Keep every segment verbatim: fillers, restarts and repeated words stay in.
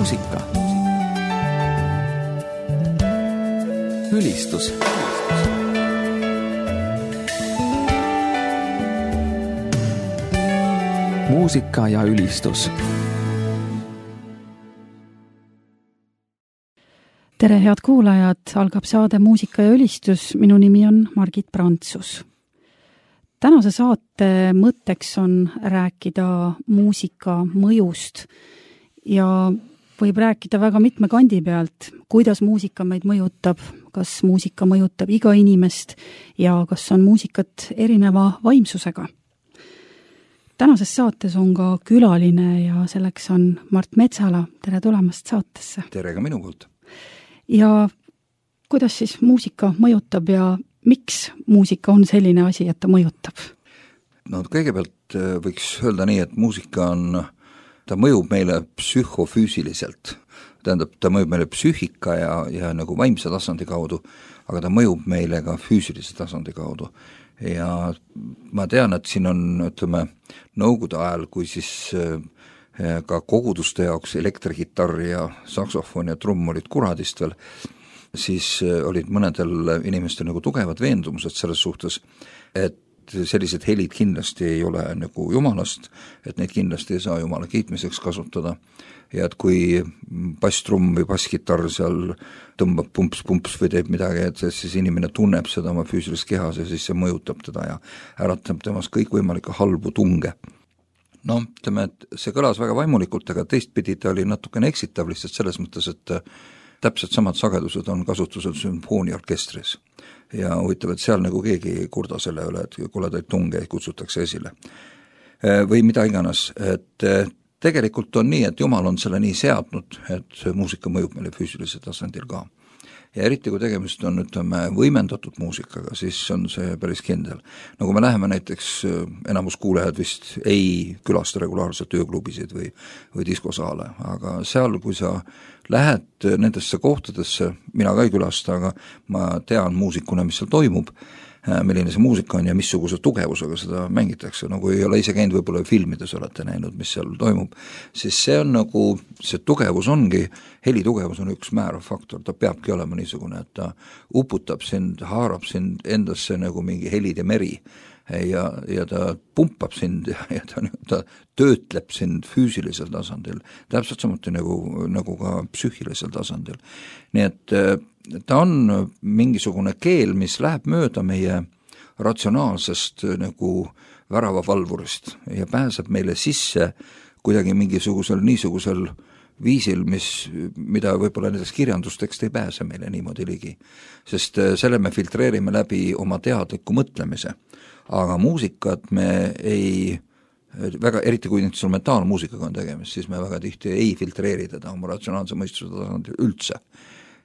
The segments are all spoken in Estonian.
muusika. Ülistus. Muusika ja ülistus. Tere, head kuulajad! Algab saade Muusika ja ülistus. Minu nimi on Margit Prantsus. Tänase saate mõtteks on rääkida muusika mõjust ja võib rääkida väga mitme kandi pealt, kuidas muusika meid mõjutab, kas muusika mõjutab iga inimest ja kas on muusikat erineva vaimsusega. Tänases saates on ka külaline ja selleks on Mart Metsala. Tere tulemast saatesse. Tere ka minu poolt. Ja kuidas siis muusika mõjutab ja miks muusika on selline asi, et ta mõjutab? No kõigepealt võiks öelda nii, et muusika on, ta mõjub meile psühhofüüsiliselt. Tähendab, ta mõjub meile psüühika ja, ja nagu vaimse tasandi kaudu, aga ta mõjub meile ka füüsilise tasandi kaudu. Ja ma tean, et siin on, ütleme, nõukogude ajal, kui siis ka koguduste jaoks elektrigitarr ja saksofon ja trumm olid kuradist veel, siis olid mõnedel inimestel nagu tugevad veendumused selles suhtes, et sellised helid kindlasti ei ole nagu jumalast, et neid kindlasti ei saa jumala kiitmiseks kasutada ja et kui basstrumm või bassgitarr seal tõmbab pumps-pumps või teeb midagi, et siis inimene tunneb seda oma füüsilist kehas ja siis see mõjutab teda ja äratab temas kõik võimalikke halbu tunge. No, ütleme, et see kõlas väga vaimulikult, aga teistpidi ta oli natukene eksitav lihtsalt selles mõttes, et täpselt samad sagedused on kasutusel sümfooniaorkestris ja huvitav, et seal nagu keegi ei kurda selle üle, et koledaid tunge kutsutakse esile. Või mida iganes, et tegelikult on nii, et Jumal on selle nii seadnud, et muusika mõjub meile füüsilise tasandil ka. Ja eriti kui tegemist on, ütleme, võimendatud muusikaga, siis on see päris kindel. No kui me läheme näiteks, enamus kuulejad vist ei külasta regulaarselt ööklubisid või, või diskosaale, aga seal, kui sa lähed nendesse kohtadesse, mina ka ei külasta, aga ma tean muusikuna, mis seal toimub, milline see muusika on ja missuguse tugevusega seda mängitakse, nagu ei ole ise käinud võib-olla filmides olete näinud, mis seal toimub, siis see on nagu, see tugevus ongi, helitugevus on üks määrav faktor, ta peabki olema niisugune, et ta uputab sind, haarab sind endasse nagu mingi helide meri ja, ja ta pumpab sind ja, ja ta, ta töötleb sind füüsilisel tasandil, täpselt samuti nagu, nagu ka psüühilisel tasandil. Nii et ta on mingisugune keel, mis läheb mööda meie ratsionaalsest nagu väravavalvurist ja pääseb meile sisse kuidagi mingisugusel niisugusel viisil, mis, mida võib-olla nendest kirjandustekst ei pääse meile niimoodi ligi. Sest selle me filtreerime läbi oma teadliku mõtlemise. Aga muusikat me ei, väga, eriti kui instrumentaalmuusikaga on tegemist, siis me väga tihti ei filtreeri teda oma ratsionaalse mõistuse tasandil üldse.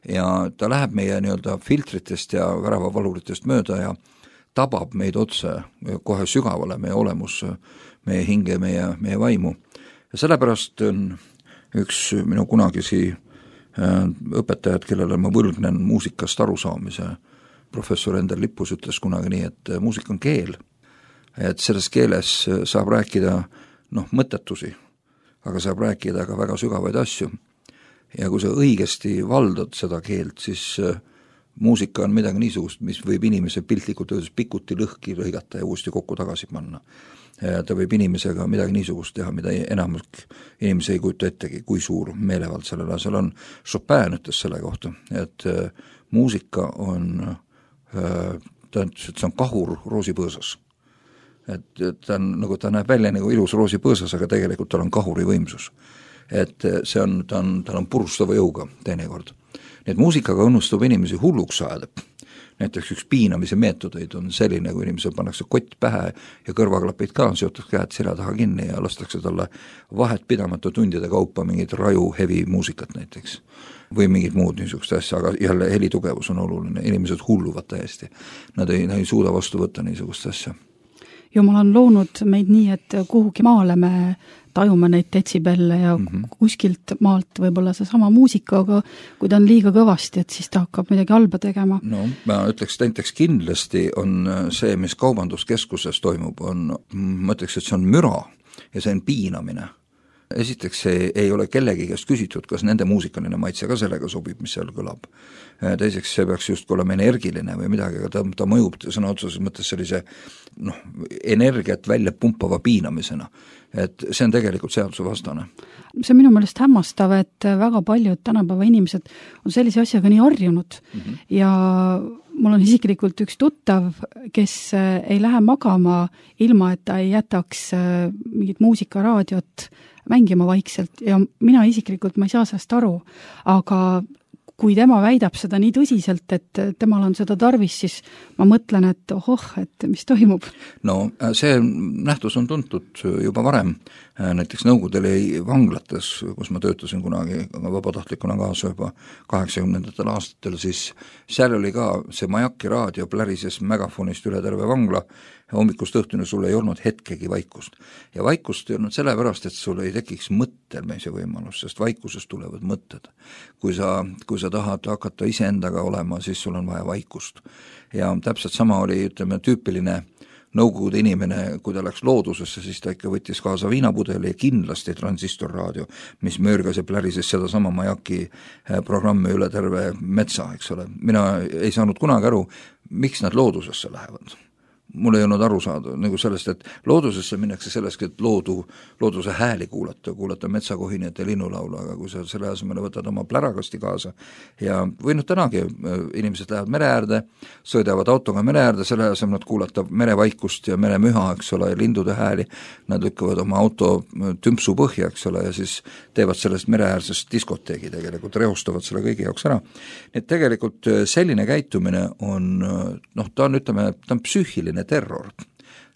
Ja ta läheb meie nii-öelda filtritest ja väravavaluritest mööda ja tabab meid otse kohe sügavale meie olemus, meie hinge, meie, meie vaimu. Ja sellepärast on üks minu kunagisi õpetajad, kellele ma võlgnen muusikast arusaamise, professor Endel Lippus ütles kunagi nii, et muusika on keel, et selles keeles saab rääkida noh, mõttetusi, aga saab rääkida ka väga sügavaid asju. Ja kui sa õigesti valdad seda keelt, siis muusika on midagi niisugust, mis võib inimese piltlikult öeldes pikuti lõhki lõigata ja uuesti kokku tagasi panna. Ja ta võib inimesega midagi niisugust teha, mida enamus inimese ei kujuta ettegi, kui suur meelevald sellel asjal on. Chopin ütles selle kohta, et muusika on, ta ütles, et see on kahur roosipõõsas. Et ta, on, nagu ta näeb välja nagu ilus roosipõõsas, aga tegelikult tal on kahuri võimsus. Et see on, ta on, tal on purustava jõuga teinekord. Nii et muusikaga õnnustub inimesi hulluks saada. Näiteks üks piinamise meetodeid on selline, kui inimesel pannakse kott pähe ja kõrvaklapid ka, seotakse käed selja taha kinni ja lastakse talle vahet pidamata tundide kaupa mingid raju heavy muusikat näiteks või mingid muud niisugust asja, aga jälle helitugevus on oluline, inimesed hulluvad täiesti. Nad ei, nad ei suuda vastu võtta niisugust asja. Jumal on loonud meid nii, et kuhugi maale me tajume neid detsibelle ja mm-hmm. kuskilt maalt võib-olla see sama muusika, aga kui ta on liiga kõvasti, et siis ta hakkab midagi halba tegema. No, ma ütleks, näiteks kindlasti on see, mis kaubanduskeskuses toimub, on, ma ütleks, et see on müra ja see on piinamine. esiteks ei, ei ole kellegi käest küsitud, kas nende muusikaline maitse ka sellega sobib, mis seal kõlab. Teiseks see peaks just olema energiline või midagi, aga ta, ta mõjub sõna otseses mõttes sellise noh, energiat välja pumpava piinamisena. Et see on tegelikult seaduse vastane. See on minu meelest hämmastav, et väga paljud tänapäeva inimesed on sellise asjaga nii harjunud mm -hmm. ja mul on isiklikult üks tuttav, kes ei lähe magama ilma, et ta ei jätaks mingit muusikaraadiot mängima vaikselt ja mina isiklikult ma ei saa sellest aru, aga kui tema väidab seda nii tõsiselt, et temal on seda tarvis, siis ma mõtlen, et ohoh, et mis toimub. No see nähtus on tuntud juba varem, näiteks Nõukogude oli vanglates, kus ma töötasin kunagi vabatahtlikuna kaasa juba kaheksakümnendatel aastatel, siis seal oli ka see Majaki raadio plärises megafonist üle terve vangla, hommikust õhtuni sul ei olnud hetkegi vaikust. Ja vaikust ei olnud sellepärast, et sul ei tekiks mõttelmeise võimalus, sest vaikusest tulevad mõtted. Kui sa, kui sa tahad hakata iseendaga olema, siis sul on vaja vaikust. Ja täpselt sama oli, ütleme, tüüpiline Nõukogude inimene, kui ta läks loodusesse, siis ta ikka võttis kaasa viinapudeli ja kindlasti transistorraadio, mis möörgas ja plärises seda sama Majaki programmi üle terve metsa, eks ole. Mina ei saanud kunagi aru, miks nad loodusesse lähevad. Mul ei olnud aru saada nagu sellest, et loodusesse minnakse sellest, et loodu, looduse hääli kuulata, kuulata metsakohinjate linnulaulu, aga kui sa selle asemele võtad oma plärakasti kaasa ja või noh tänagi inimesed lähevad mere äärde, sõidavad autoga mere äärde, selle asemel kuulata merevaikust ja meremüha, eks ole, ja lindude hääli, nad lükkavad oma auto tümpsu põhja, eks ole, ja siis teevad sellest mereäärsest diskoteegi tegelikult, rehustavad selle kõigi jaoks ära. Nii et tegelikult selline käitumine on, noh, ta on, ütleme, ta on psüühiline terror.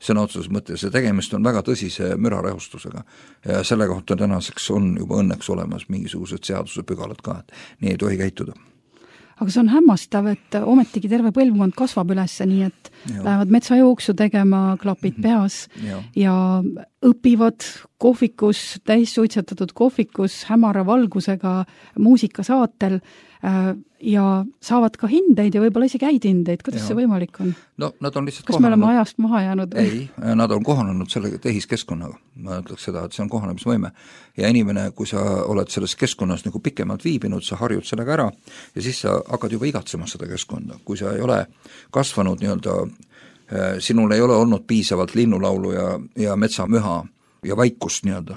Sõna otseses mõttes ja tegemist on väga tõsise mürarehustusega ja selle kohta tänaseks on juba õnneks olemas mingisugused seaduse pügalad ka, et nii ei tohi käituda. Aga see on hämmastav, et ometigi terve põlvkond kasvab ülesse, nii et ja. Lähevad metsajooksu tegema, klapid peas ja, ja õpivad kohvikus, täis suitsetatud kohvikus, hämara valgusega muusikasaatel ja saavad ka hindeid ja võib-olla isegi häid hindeid. Kuidas ja. See võimalik on? No, nad on lihtsalt Kas kohanenud. me oleme ajast maha jäänud? Ei, nad on kohanenud selle tehiskeskkonnaga. Ma ütleks seda, et see on kohanemisvõime. Ja inimene, kui sa oled selles keskkonnas nagu pikemalt viibinud, sa harjud sellega ära ja siis sa hakkad juba igatsema seda keskkonda. Kui sa ei ole kasvanud nii-öelda, sinul ei ole olnud piisavalt linnulaulu ja, ja metsamüha ja vaikust nii-öelda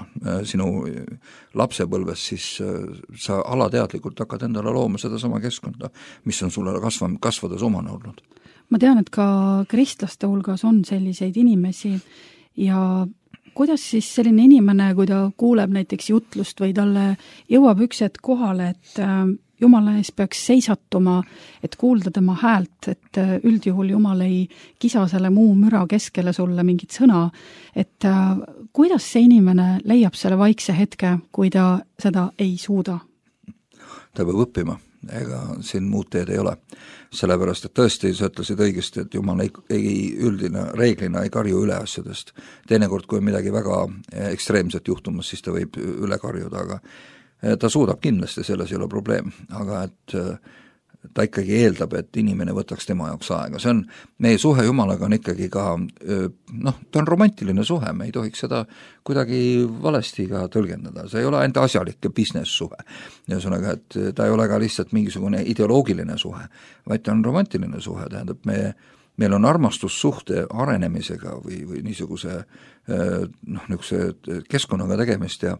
sinu lapsepõlves, siis sa alateadlikult hakkad endale looma seda sama keskkonda, mis on sulle kasva, kasvades omane olnud. Ma tean, et ka kristlaste hulgas on selliseid inimesi ja kuidas siis selline inimene, kui ta kuuleb näiteks jutlust või talle jõuab üks hetk kohale, et Jumala ees peaks seisatuma, et kuulda tema häält, et üldjuhul Jumal ei kisa selle muu müra keskele sulle mingit sõna, et kuidas see inimene leiab selle vaikse hetke, kui ta seda ei suuda? Ta peab õppima, ega siin muud teed ei ole. Sellepärast, et tõesti sa ütlesid õigesti, et Jumal ei, ei üldina reeglina ei karju üle asjadest. Teinekord, kui on midagi väga ekstreemset juhtumas, siis ta võib üle karjuda, aga ta suudab kindlasti, selles ei ole probleem, aga et ta ikkagi eeldab, et inimene võtaks tema jaoks aega. See on, meie suhe Jumalaga on ikkagi ka, noh, ta on romantiline suhe, me ei tohiks seda kuidagi valesti ka tõlgendada. See ei ole ainult asjalik business suhe. Ühesõnaga, et ta ei ole ka lihtsalt mingisugune ideoloogiline suhe, vaid ta on romantiline suhe, tähendab, me meil on armastussuhte arenemisega või, või niisuguse, noh, niisuguse keskkonnaga tegemist ja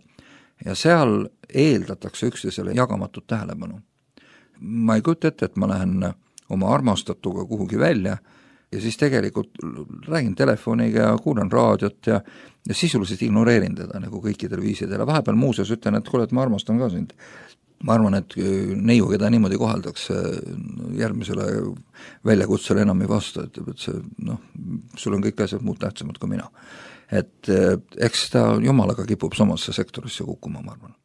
ja seal eeldatakse üksteisele jagamatut tähelepanu. Ma ei kujuta ette, et ma lähen oma armastatuga kuhugi välja ja siis tegelikult räägin telefoniga ja kuulan raadiot ja, ja sisuliselt ignoreerin teda nagu kõikidel viisidel. Vahepeal muuseas ütlen, et kuule, et ma armastan ka sind. Ma arvan, et neiu, keda niimoodi koheldakse järgmisele väljakutsele enam ei vasta, et, et see, noh, sul on kõik asjad muud tähtsamad kui mina. Et eks ta Jumalaga kipub samasse sektorisse kukkuma, ma arvan.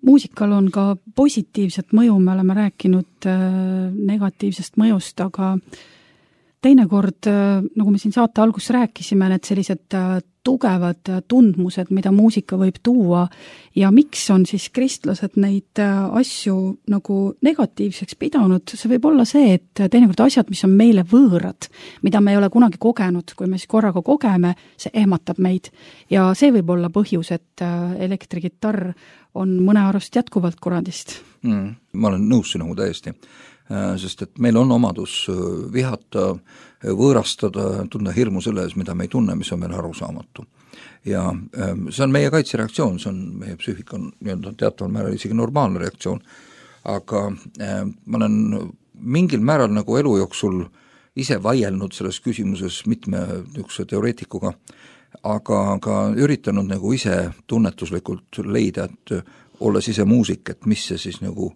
Muusikal on ka positiivset mõju, me oleme rääkinud negatiivsest mõjust, aga teinekord, nagu me siin saate alguses rääkisime, need sellised tugevad tundmused, mida muusika võib tuua ja miks on siis kristlased neid asju nagu negatiivseks pidanud, see võib olla see, et teinekord asjad, mis on meile võõrad, mida me ei ole kunagi kogenud, kui me siis korraga kogeme, see ehmatab meid ja see võib olla põhjus, et elektrigitarr on mõne arust jätkuvalt kuradist. Mm, ma olen nõus sinuga täiesti, sest et meil on omadus vihata, võõrastada, tunda hirmu selle ees, mida me ei tunne, mis on meil arusaamatu. Ja see on meie kaitsereaktsioon, see on meie psüühika nii-öelda teataval määral isegi normaalne reaktsioon, aga ma olen mingil määral nagu elu jooksul ise vaielnud selles küsimuses mitme üks teoreetikuga, aga ka üritanud nagu ise tunnetuslikult leida, et olles ise muusik, et mis see siis nagu,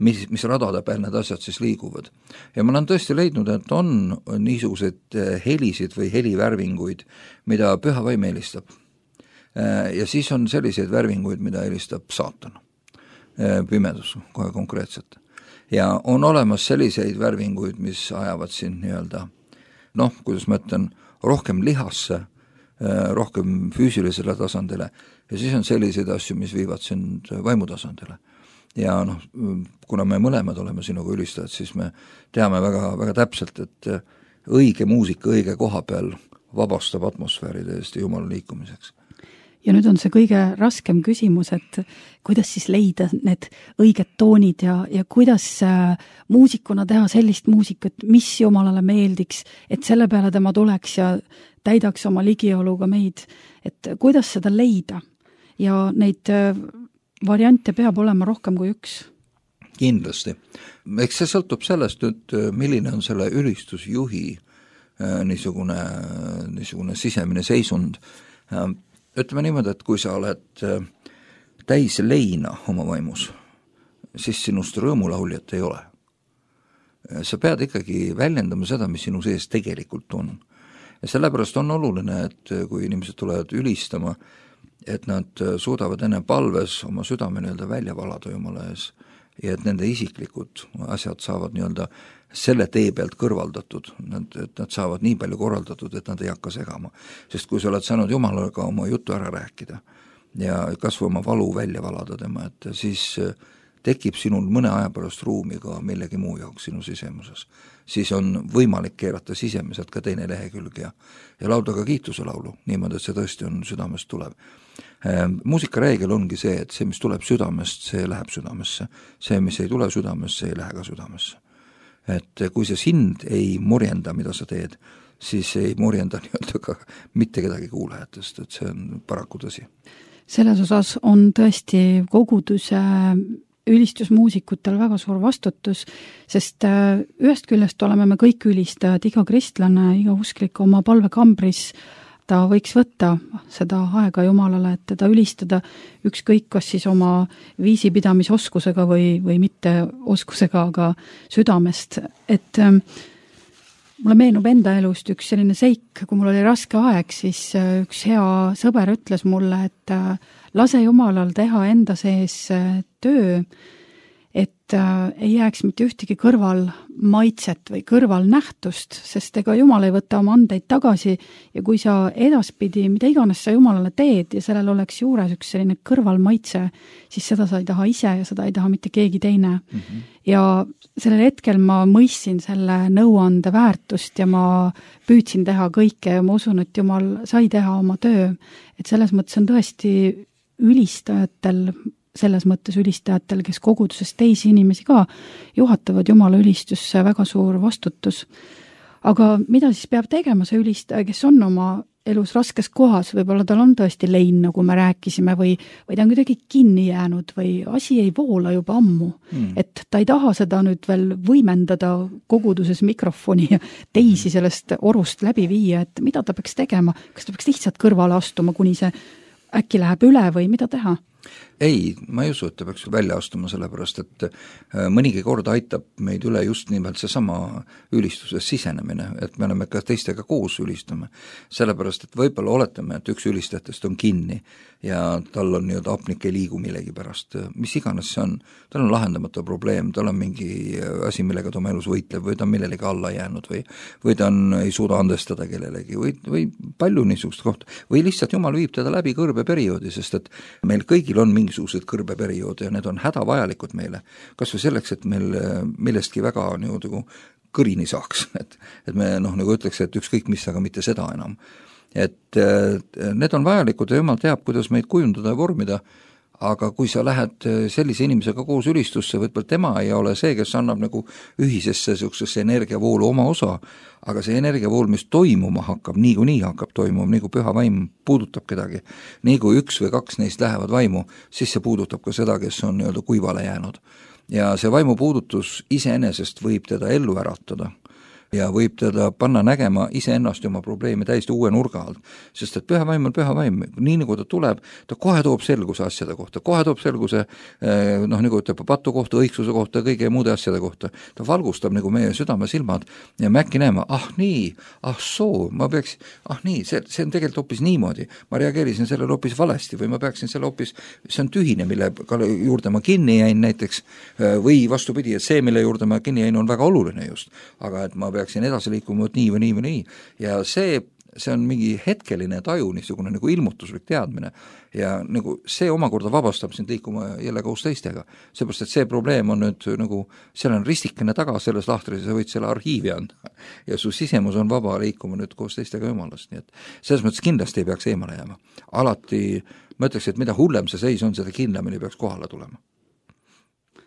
mis, mis radade peal need asjad siis liiguvad. Ja ma olen tõesti leidnud, et on niisuguseid helisid või helivärvinguid, mida püha vaim helistab. Ja siis on selliseid värvinguid, mida helistab saatan. Pimedus kohe konkreetselt. Ja on olemas selliseid värvinguid, mis ajavad siin nii-öelda, noh, kuidas ma ütlen, rohkem lihasse, rohkem füüsilisele tasandile ja siis on selliseid asju, mis viivad sind vaimutasandile. Ja noh, kuna me mõlemad oleme sinuga ülistajad, siis me teame väga, väga täpselt, et õige muusika õige koha peal vabastab atmosfääri täiesti jumala liikumiseks. Ja nüüd on see kõige raskem küsimus, et kuidas siis leida need õiged toonid ja, ja kuidas muusikuna teha sellist muusikat, mis jumalale meeldiks, et selle peale tema tuleks ja täidaks oma ligioluga meid, et kuidas seda leida ja neid variante peab olema rohkem kui üks. Kindlasti. Eks see sõltub sellest, et milline on selle ülistusjuhi niisugune, niisugune sisemine seisund. Ütleme niimoodi, et kui sa oled täis leina oma vaimus, siis sinust rõõmulauljat ei ole. Sa pead ikkagi väljendama seda, mis sinu sees tegelikult on. Ja sellepärast on oluline, et kui inimesed tulevad ülistama, et nad suudavad enne palves oma südame nii-öelda välja valada Jumala ees ja et nende isiklikud asjad saavad nii-öelda selle tee pealt kõrvaldatud, et nad saavad nii palju korraldatud, et nad ei hakka segama. Sest kui sa oled saanud Jumalaga oma jutu ära rääkida ja kas või oma valu välja valada tema, et siis tekib sinul mõne aja pärast ruumi ka millegi muu jaoks sinu sisemuses. Siis on võimalik keerata sisemiselt ka teine lehekülg ja, ja laulda ka kiituse laulu, niimoodi, et see tõesti on südamest tulev. Muusikareegel ongi see, et see, mis tuleb südamest, see läheb südamesse. See, mis ei tule südamest, see ei lähe ka südamesse. Et kui see sind ei murjenda, mida sa teed, siis ei murjenda nii-öelda ka mitte kedagi kuulajatest, et see on paraku tõsi. Selles osas on tõesti koguduse ülistusmuusikutel väga suur vastutus, sest ühest küljest oleme me kõik ülistajad, iga kristlane, iga usklik oma palvekambris, ta võiks võtta seda aega Jumalale, et teda ülistada ükskõik kas siis oma viisipidamisoskusega või, või mitte oskusega, aga südamest. Et ähm, mulle meenub enda elust üks selline seik, kui mul oli raske aeg, siis äh, üks hea sõber ütles mulle, et äh, lase Jumalal teha enda sees äh, töö, et äh, ei jääks mitte ühtegi kõrval maitset või kõrval nähtust, sest ega Jumal ei võta oma andeid tagasi ja kui sa edaspidi, mida iganes sa Jumalale teed ja sellel oleks juures üks selline kõrval maitse, siis seda sa ei taha ise ja seda ei taha mitte keegi teine. Mm-hmm. Ja sellel hetkel ma mõistsin selle nõuande väärtust ja ma püüdsin teha kõike ja ma usun, et Jumal sai teha oma töö. Et selles mõttes on tõesti ülistajatel selles mõttes ülistajatel, kes koguduses teisi inimesi ka juhatavad Jumala ülistusse, väga suur vastutus. Aga mida siis peab tegema see ülistaja, kes on oma elus raskes kohas, võib-olla tal on tõesti lein, nagu me rääkisime, või, või ta on kuidagi kinni jäänud või asi ei voola juba ammu. Mm. Et ta ei taha seda nüüd veel võimendada koguduses mikrofoni ja teisi sellest orust läbi viia, et mida ta peaks tegema, kas ta peaks lihtsalt kõrvale astuma, kuni see äkki läheb üle või mida teha? ei, ma ei usu, et ta peaks välja astuma, sellepärast et mõnigi kord aitab meid üle just nimelt seesama ülistuses sisenemine, et me oleme ka teistega koos ülistame. Sellepärast, et võib-olla oletame, et üks ülistajatest on kinni ja tal on nii-öelda apnik ei liigu millegi pärast, mis iganes see on, tal on lahendamata probleem, tal on mingi asi, millega ta oma elus võitleb või ta on millelegi alla jäänud või, või ta on, ei suuda andestada kellelegi või, või palju niisugust kohta või lihtsalt Jumal viib teda läbi kõrbeperioodi, sest et meil kõigil on mingisugused kõrbeperioodi ja need on hädavajalikud meile, kas või selleks, et meil millestki väga nii-öelda kõrini saaks, et, et me noh, nagu ütleks, et ükskõik mis, aga mitte seda enam. Et need on vajalikud ja Jumal teab, kuidas meid kujundada ja vormida, aga kui sa lähed sellise inimesega koos ülistusse, võtpalt tema ei ole see, kes annab nagu ühisesse sellisesse energiavoolu oma osa, aga see energiavool, mis toimuma hakkab, nii kui nii hakkab toimuma, nii kui püha vaim puudutab kedagi, nii kui üks või kaks neist lähevad vaimu, siis see puudutab ka seda, kes on nii-öelda kuivale jäänud. Ja see vaimu puudutus iseenesest võib teda ellu äratada ja võib teda panna nägema iseennast ja oma probleemi täiesti uue nurga alt, sest et püha vaim on püha vaim, nii nagu ta tuleb, ta kohe toob selguse asjade kohta, kohe toob selguse noh, nagu ütleb patu kohta, õigsuse kohta, kõige muude asjade kohta, ta valgustab nagu meie südame silmad ja me äkki näeme, ah nii, ah soo, ma peaks, ah nii, see, see on tegelikult hoopis niimoodi, ma reageerisin sellele hoopis valesti või ma peaksin selle hoopis, see on tühine, mille juurde ma kinni jäin näiteks, või vastupidi, et see, mille juurde ma kinni jäin, on väga oluline just, aga et ma peaksin edasi liikuma nii või nii või nii ja see, see on mingi hetkeline taju, niisugune nagu ilmutuslik teadmine ja nagu see omakorda vabastab sind liikuma jälle koos teistega, seepärast et see probleem on nüüd nagu, seal on ristikene taga selles lahtris ja sa võid selle arhiivi anda ja su sisemus on vaba liikuma nüüd koos teistega Jumalast, nii et selles mõttes kindlasti ei peaks eemale jääma. Alati ma ütleks, et mida hullem see seis on, seda kindlamini peaks kohale tulema.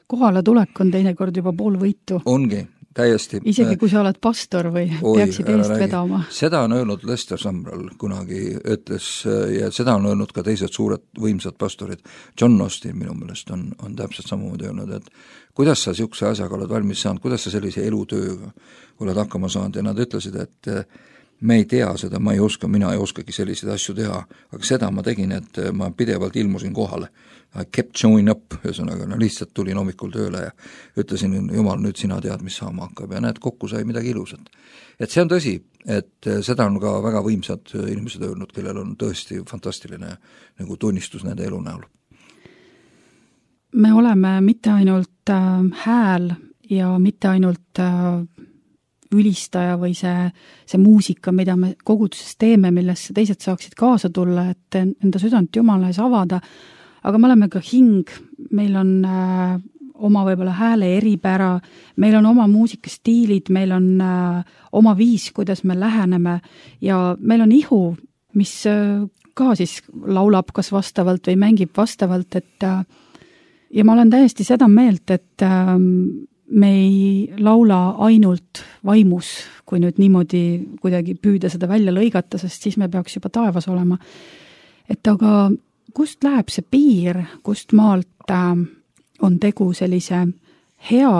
Kohale tulek on teinekord juba pool võitu. Ongi. Täiesti. Isegi kui sa oled pastor või Oi, peaksid eest räägi. Vedama. Seda on öelnud Lester Sumrall kunagi, ütles, ja seda on öelnud ka teised suured võimsad pastorid. John Austin minu meelest on, on täpselt samamoodi öelnud, et kuidas sa siukse asjaga oled valmis saanud, kuidas sa sellise elutööga oled hakkama saanud ja nad ütlesid, et me ei tea seda, ma ei oska, mina ei oskagi selliseid asju teha, aga seda ma tegin, et ma pidevalt ilmusin kohale. I kept showing up, ühesõnaga, no lihtsalt tulin hommikul tööle ja ütlesin, Jumal, nüüd sina tead, mis saama hakkab ja näed, kokku sai midagi ilusat. Et see on tõsi, et seda on ka väga võimsad inimesed öelnud, kellel on tõesti fantastiline nagu tunnistus nende elu näol. Me oleme mitte ainult äh, hääl ja mitte ainult äh, ülistaja või see, see muusika, mida me koguduses teeme, millesse teised saaksid kaasa tulla, et enda südant Jumala ees avada, aga me oleme ka hing, meil on äh, oma võib-olla hääle eripära, meil on oma muusikastiilid, meil on äh, oma viis, kuidas me läheneme ja meil on ihu, mis äh, ka siis laulab kas vastavalt või mängib vastavalt, et äh, ja ma olen täiesti seda meelt, et äh, me ei laula ainult vaimus, kui nüüd niimoodi kuidagi püüda seda välja lõigata, sest siis me peaks juba taevas olema. Et aga kust läheb see piir, kust maalt äh, on tegu sellise hea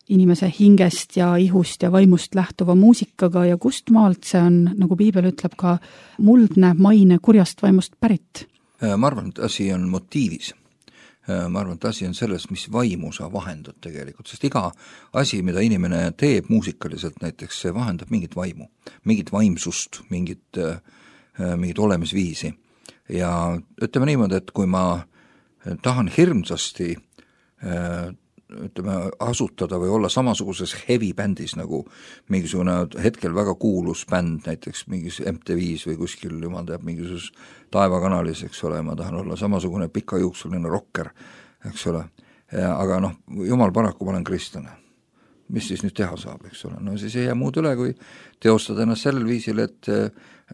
inimese hingest ja ihust ja vaimust lähtuva muusikaga ja kust maalt see on, nagu piibel ütleb, ka muldne maine kurjast vaimust pärit? Ma arvan, et asi on motiivis. Ma arvan, et asi on selles, mis vaimu sa vahendad tegelikult, sest iga asi, mida inimene teeb muusikaliselt näiteks, see vahendab mingit vaimu, mingit vaimsust, mingit, mingit olemisviisi. Ja ütleme niimoodi, et kui ma tahan hirmsasti ütleme, asutada või olla samasuguses heavy bändis nagu mingisugune hetkel väga kuulus bänd, näiteks mingis M T V-s või kuskil, jumal teab, mingisuses taevakanalis, eks ole, ma tahan olla samasugune pikajuuksuline rocker, eks ole, aga noh, jumal paraku, ma olen kristlane. Mis siis nüüd teha saab, eks ole, no siis ei jää muud üle, kui teostada ennast sellel viisil, et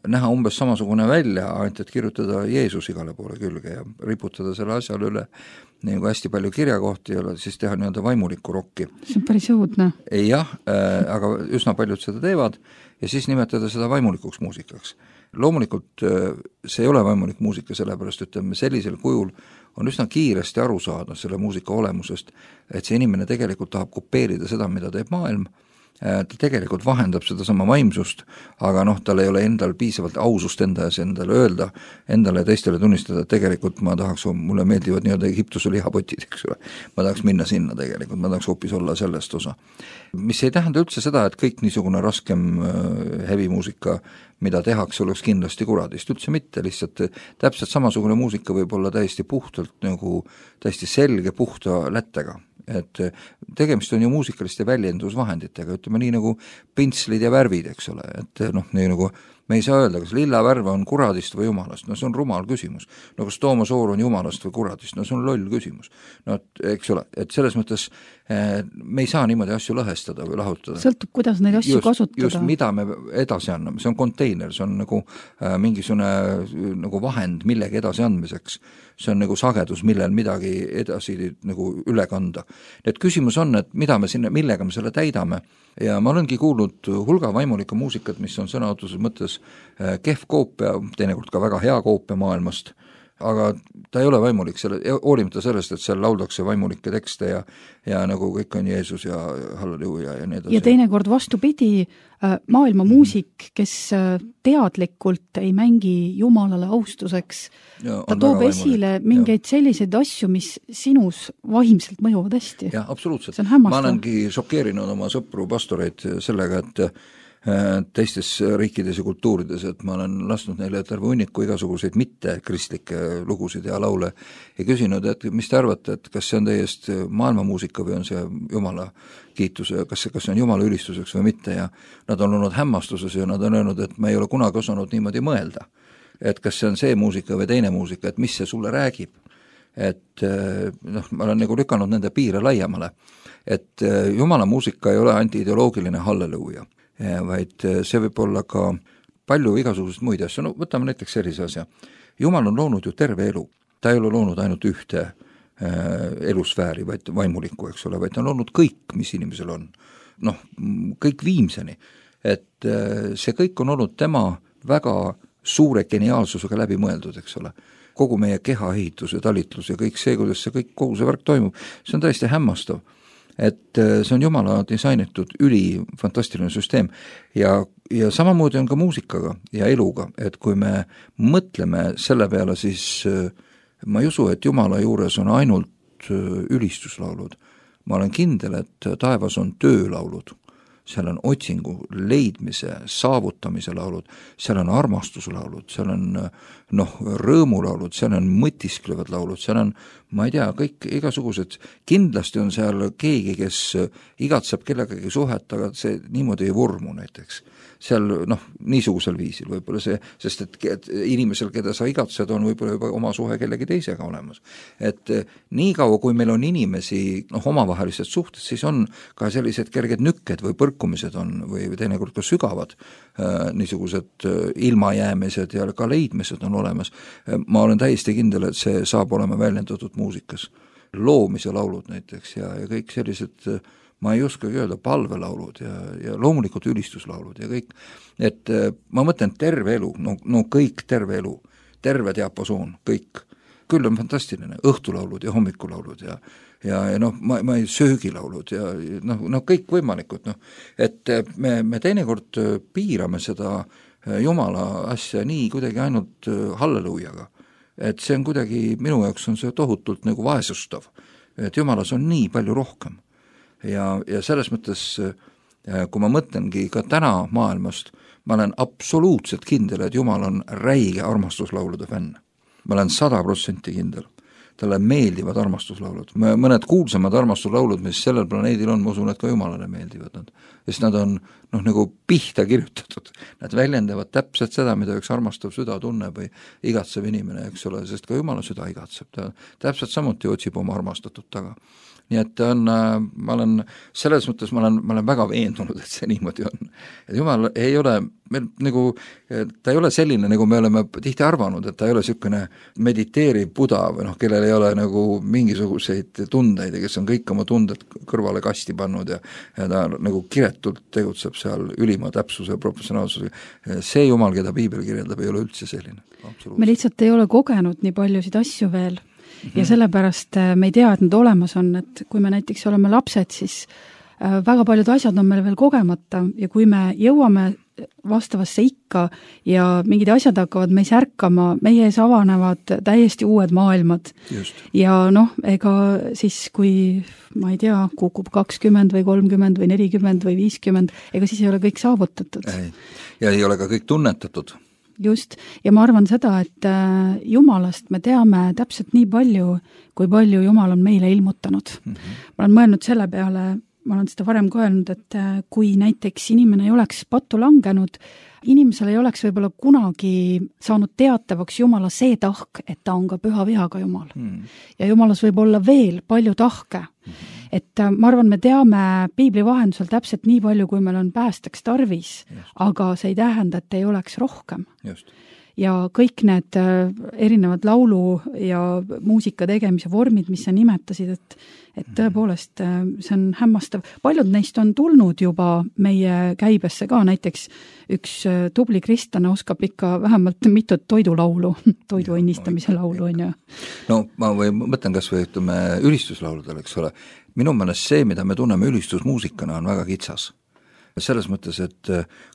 näha umbes samasugune välja, ainult et kirjutada Jeesus igale poole külge ja riputada selle asjale üle nagu hästi palju kirjakohti ja siis teha nii-öelda vaimulikku rokki. See on päris õudne. Jah, äh, aga üsna paljud seda teevad ja siis nimetada seda vaimulikuks muusikaks. Loomulikult see ei ole vaimulik muusika, sellepärast ütleme sellisel kujul on üsna kiiresti aru saada selle muusika olemusest, et see inimene tegelikult tahab kopeerida seda, mida teeb maailm ta tegelikult vahendab seda sama vaimsust, aga noh, tal ei ole endal piisavalt ausust enda ees endale öelda, endale ja teistele tunnistada, et tegelikult ma tahaks, mulle meeldivad nii-öelda Egiptuse lihapotid, eks ole. Ma tahaks minna sinna tegelikult, ma tahaks hoopis olla sellest osa. Mis ei tähenda üldse seda, et kõik niisugune raskem heavy muusika, mida tehakse, oleks kindlasti kuradist, üldse mitte, lihtsalt täpselt samasugune muusika võib olla täiesti puhtalt nagu täiesti selge puhta lättega. Et tegemist on ju muusikaliste väljendusvahenditega, ütleme nii nagu pintslid ja värvid, eks ole, et noh, nii nagu me ei saa öelda, kas lilla värv on kuradist või jumalast, no see on rumal küsimus. No kas Toomas Oor on jumalast või kuradist, no see on loll küsimus. No eks ole, et selles mõttes me ei saa niimoodi asju lõhestada või lahutada. Sõltub, kuidas neid asju just, kasutada. Just mida me edasi anname, see on konteiner, see on nagu äh, mingisugune nagu vahend millegi edasi andmiseks. See on nagu sagedus, millel midagi edasi nagu üle kanda. Et küsimus on, et mida me sinna, millega me selle täidame ja ma olengi kuulnud hulga vaimulika muusikat, mis on sõnaotuses mõttes äh, kehv koopia, teinekord ka väga hea koopia maailmast, aga ta ei ole vaimulik, selle, hoolimata sellest, et seal lauldakse vaimulikke tekste ja, ja nagu kõik on Jeesus ja halleluuja ja nii edasi. Ja teinekord vastupidi, maailma muusik, kes teadlikult ei mängi Jumalale austuseks, ja, ta toob esile mingeid ja. selliseid asju, mis sinus vaimselt mõjuvad hästi. Jah, absoluutselt. Ma olengi šokeerinud oma sõpru pastoreid sellega, et teistes riikides ja kultuurides, et ma olen lasknud neile terve hunniku igasuguseid mitte kristlikke lugusid ja laule ja küsinud, et mis te arvate, et kas see on täiest maailmamuusika või on see Jumala kiitus, kas see, kas see on Jumala ülistuseks või mitte ja nad on olnud hämmastuses ja nad on öelnud, et ma ei ole kunagi osanud niimoodi mõelda, et kas see on see muusika või teine muusika, et mis see sulle räägib, et noh, ma olen nagu lükanud nende piire laiemale, et Jumala muusika ei ole anti-ideoloogiline halleluuja, vaid see võib olla ka palju igasugused muid asju, no võtame näiteks sellise asja. Jumal on loonud ju terve elu, ta ei ole loonud ainult ühte äh, elusfääri, vaid vaimulikku, eks ole, vaid ta on loonud kõik, mis inimesel on, noh, kõik viimseni, et äh, see kõik on olnud tema väga suure geniaalsusega läbi mõeldud, eks ole, kogu meie kehaehitus ja talitlus ja kõik see, kuidas see kõik, kogu see värk toimub, see on täiesti hämmastav. Et see on Jumala disainitud üli fantastiline süsteem ja, ja samamoodi on ka muusikaga ja eluga, et kui me mõtleme selle peale, siis ma ei usu, et Jumala juures on ainult ülistuslaulud. Ma olen kindel, et taevas on töölaulud, seal on otsingu, leidmise, saavutamise laulud, seal on armastuslaulud, seal on noh, rõõmulaulud, seal on mõtisklevad laulud, seal on, ma ei tea, kõik igasugused, kindlasti on seal keegi, kes igatseb kellegagi suhet, aga see niimoodi ei vormu näiteks. Seal noh, niisugusel viisil võib-olla see, sest et, et inimesel, keda sa igatsed, on võib-olla juba oma suhe kellegi teisega olemas. Et nii kaua, kui meil on inimesi noh, omavahelised suhted, siis on ka sellised kerged nükked või põrkumised on või teinekord ka sügavad äh, niisugused ilmajäämised ja ka leidmised on olemas. Ma olen täiesti kindel, et see saab olema väljendatud muusikas. Loomise laulud näiteks ja, ja kõik sellised ma ei oskagi öelda, palvelaulud ja, ja loomulikult ülistuslaulud ja kõik, et ma mõtlen terve elu, no, no kõik terve elu, terve diapasoon, kõik, küll on fantastiline, õhtulaulud ja hommikulaulud ja ja, ja noh, ma, ma ei söögilaulud ja noh, no kõik võimalikud, noh, et me, me teinekord piirame seda Jumala asja nii kuidagi ainult halleluujaga, et see on kuidagi, minu jaoks on see tohutult nagu vaesustav, et Jumalas on nii palju rohkem. Ja, ja selles mõttes, kui ma mõtlengi ka täna maailmast, ma olen absoluutselt kindel, et Jumal on räige armastuslaulude fänn. Ma olen sada protsenti kindel. Talle meeldivad armastuslaulud. Mõned kuulsamad armastuslaulud, mis sellel planeedil on, ma usun, et ka Jumalale meeldivad nad. Sest nad on noh, nagu pihta kirjutatud. Nad väljendavad täpselt seda, mida üks armastav süda tunneb või igatsev inimene, eks ole, sest ka Jumala süda igatseb. Ta täpselt samuti otsib oma armastatud taga. Nii et on, ma olen, selles mõttes ma olen, ma olen väga veendunud, et see niimoodi on. Et Jumal ei ole, meil nagu, ta ei ole selline, nagu me oleme tihti arvanud, et ta ei ole niisugune mediteeriv Buda või noh, kellel ei ole nagu mingisuguseid tundeid ja kes on kõik oma tunded kõrvale kasti pannud ja, ja ta nagu kiretult tegutseb seal ülima täpsuse ja professionaalsuse. See Jumal, keda Piibel kirjeldab, ei ole üldse selline. Me lihtsalt ei ole kogenud nii paljusid asju veel. Ja sellepärast me ei tea, et nad olemas on, et kui me näiteks oleme lapsed, siis väga paljud asjad on meil veel kogemata ja kui me jõuame vastavasse ikka ja mingid asjad hakkavad meis ärkama, meie ees avanevad täiesti uued maailmad. Just. Ja noh, ega siis kui, ma ei tea, kukub kakskümmend või kolmkümmend või nelikümmend või viiskümmend, ega siis ei ole kõik saavutatud. Ei. Ja ei ole ka kõik tunnetatud. Just, ja ma arvan seda, et Jumalast me teame täpselt nii palju, kui palju Jumal on meile ilmutanud. Mm-hmm. Ma olen mõelnud selle peale, ma olen seda varem ka öelnud, et kui näiteks inimene ei oleks pattu langenud, inimesel ei oleks võib-olla kunagi saanud teatavaks Jumala see tahk, et ta on ka püha vihaga Jumal. Mm. Ja Jumalas võib olla veel palju tahke. Mm-hmm. Et ma arvan, me teame piibli vahendusel täpselt nii palju, kui meil on päästeks tarvis, Just. Aga see ei tähenda, et ei oleks rohkem. Just. Ja kõik need erinevad laulu ja muusika tegemise vormid, mis sa nimetasid, et, et tõepoolest see on hämmastav. Paljud neist on tulnud juba meie käibesse ka, näiteks üks tubli kristlane oskab ikka vähemalt mitut toidulaulu, toidu õnnistamise laulu on ju. No ma või mõtlen kas või ütleme ülistuslauludel, eks ole. Minu meelest see, mida me tunneme ülistusmuusikana, on väga kitsas. Selles mõttes, et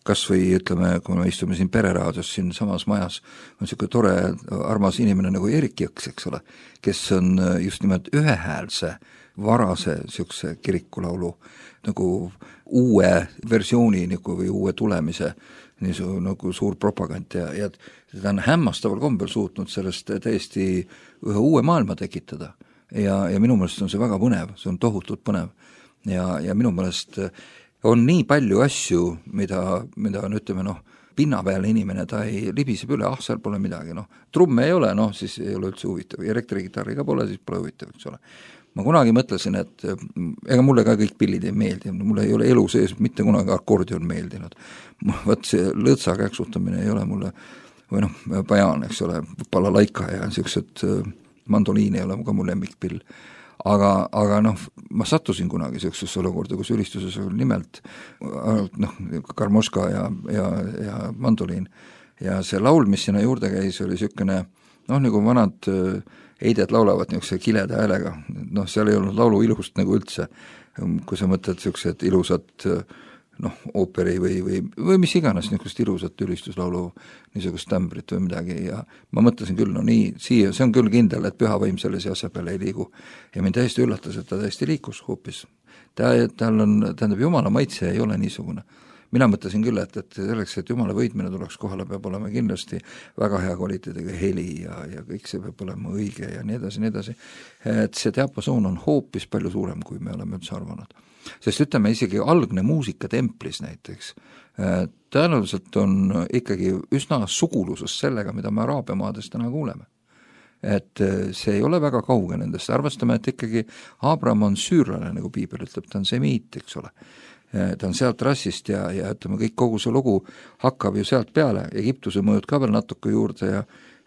kas või ütleme, kui me istume siin pereraadios siin samas majas, on selline tore armas inimene nagu Erik Jõks, eks ole, kes on just nimelt ühehäälse varase siukse kirikulaulu nagu uue versiooni nagu või uue tulemise niisu, nagu suur propagand ja, ja ta on hämmastaval kombel suutnud sellest täiesti ühe uue maailma tekitada ja, ja minu meelest on see väga põnev, see on tohutult põnev ja, ja minu meelest on nii palju asju, mida, mida on, ütleme, noh, pinna peal inimene, ta ei libiseb üle, ah, seal pole midagi, noh, trumme ei ole, noh, siis ei ole üldse huvitav, elektrigitarri ka pole, siis pole huvitav, eks ole. Ma kunagi mõtlesin, et ega mulle ka kõik pillid ei meeldi, mulle ei ole elu sees mitte kunagi akordion meeldinud. Võt see lõõtsa käksutamine ei ole mulle, või noh, pajaan, eks ole, balalaika ja niisugused mandoliin ei ole ka mu lemmikpill. Aga, aga noh, ma sattusin kunagi sellisesse olukorda, kus ülistuses oli nimelt noh, karmoška ja, ja, ja mandoliin. Ja see laul, mis sinna juurde käis, oli niisugune, noh, nagu vanad eided laulavad niisuguse kileda häälega. Noh, seal ei olnud laulu ilust nagu üldse. Kui sa mõtled niisugused ilusad noh, ooperi või, või, või mis iganes niisugust ilusat ülistuslaulu, niisugust tämbrit või midagi ja ma mõtlesin küll, no nii, siia, see on küll kindel, et püha vaim sellise asja peale ei liigu. Ja mind täiesti üllatas, et ta täiesti liikus hoopis. Ta, tal on, tähendab, Jumala maitse ei ole niisugune. Mina mõtlesin küll, et, et selleks, et Jumala võitmine tuleks kohale, peab olema kindlasti väga hea kvaliteediga heli ja, ja kõik see peab olema õige ja nii edasi, nii edasi. Et see diapasoon on hoopis palju suurem, kui me oleme üldse arvanud. Sest ütleme isegi algne muusika templis näiteks, tõenäoliselt on ikkagi üsna suguluses sellega, mida me Araabia maades täna kuuleme. Et see ei ole väga kauge nendest, arvestame, et ikkagi Abraham on süürlane, nagu piibel ütleb, ta on semiit, eks ole. Ta on sealt rassist ja, ja ütleme, kõik kogu see lugu hakkab ju sealt peale, Egiptuse mõjud ka veel natuke juurde ja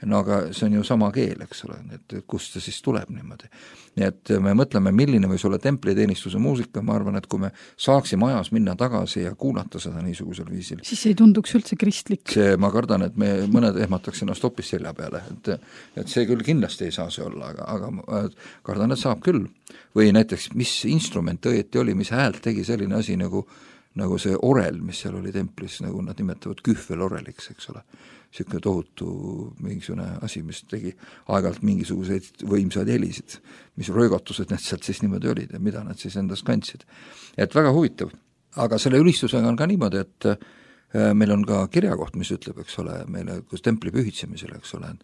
no aga see on ju sama keel, eks ole, et kust see siis tuleb niimoodi. Nii et me mõtleme, milline võis olla templiteenistuse muusika, ma arvan, et kui me saaksime ajas minna tagasi ja kuulata seda niisugusel viisil. Siis ei tunduks üldse kristlik. See, ma kardan, et me mõned ehmataks ennast hoopis selja peale, et, et see küll kindlasti ei saa see olla, aga, aga kardan, et saab küll. Või näiteks, mis instrument õieti oli, mis häält tegi selline asi nagu, nagu see orel, mis seal oli templis, nagu nad nimetavad kühveloreliks, eks ole. Siuke tohutu mingisugune asi, mis tegi aeg-ajalt mingisuguseid võimsaid helisid, mis röögatused need sealt siis niimoodi olid ja mida nad siis endas kandsid. Et väga huvitav. Aga selle ülistusega on ka niimoodi, et meil on ka kirjakoht, mis ütleb, eks ole, meile kus templi pühitsemisel, eks ole,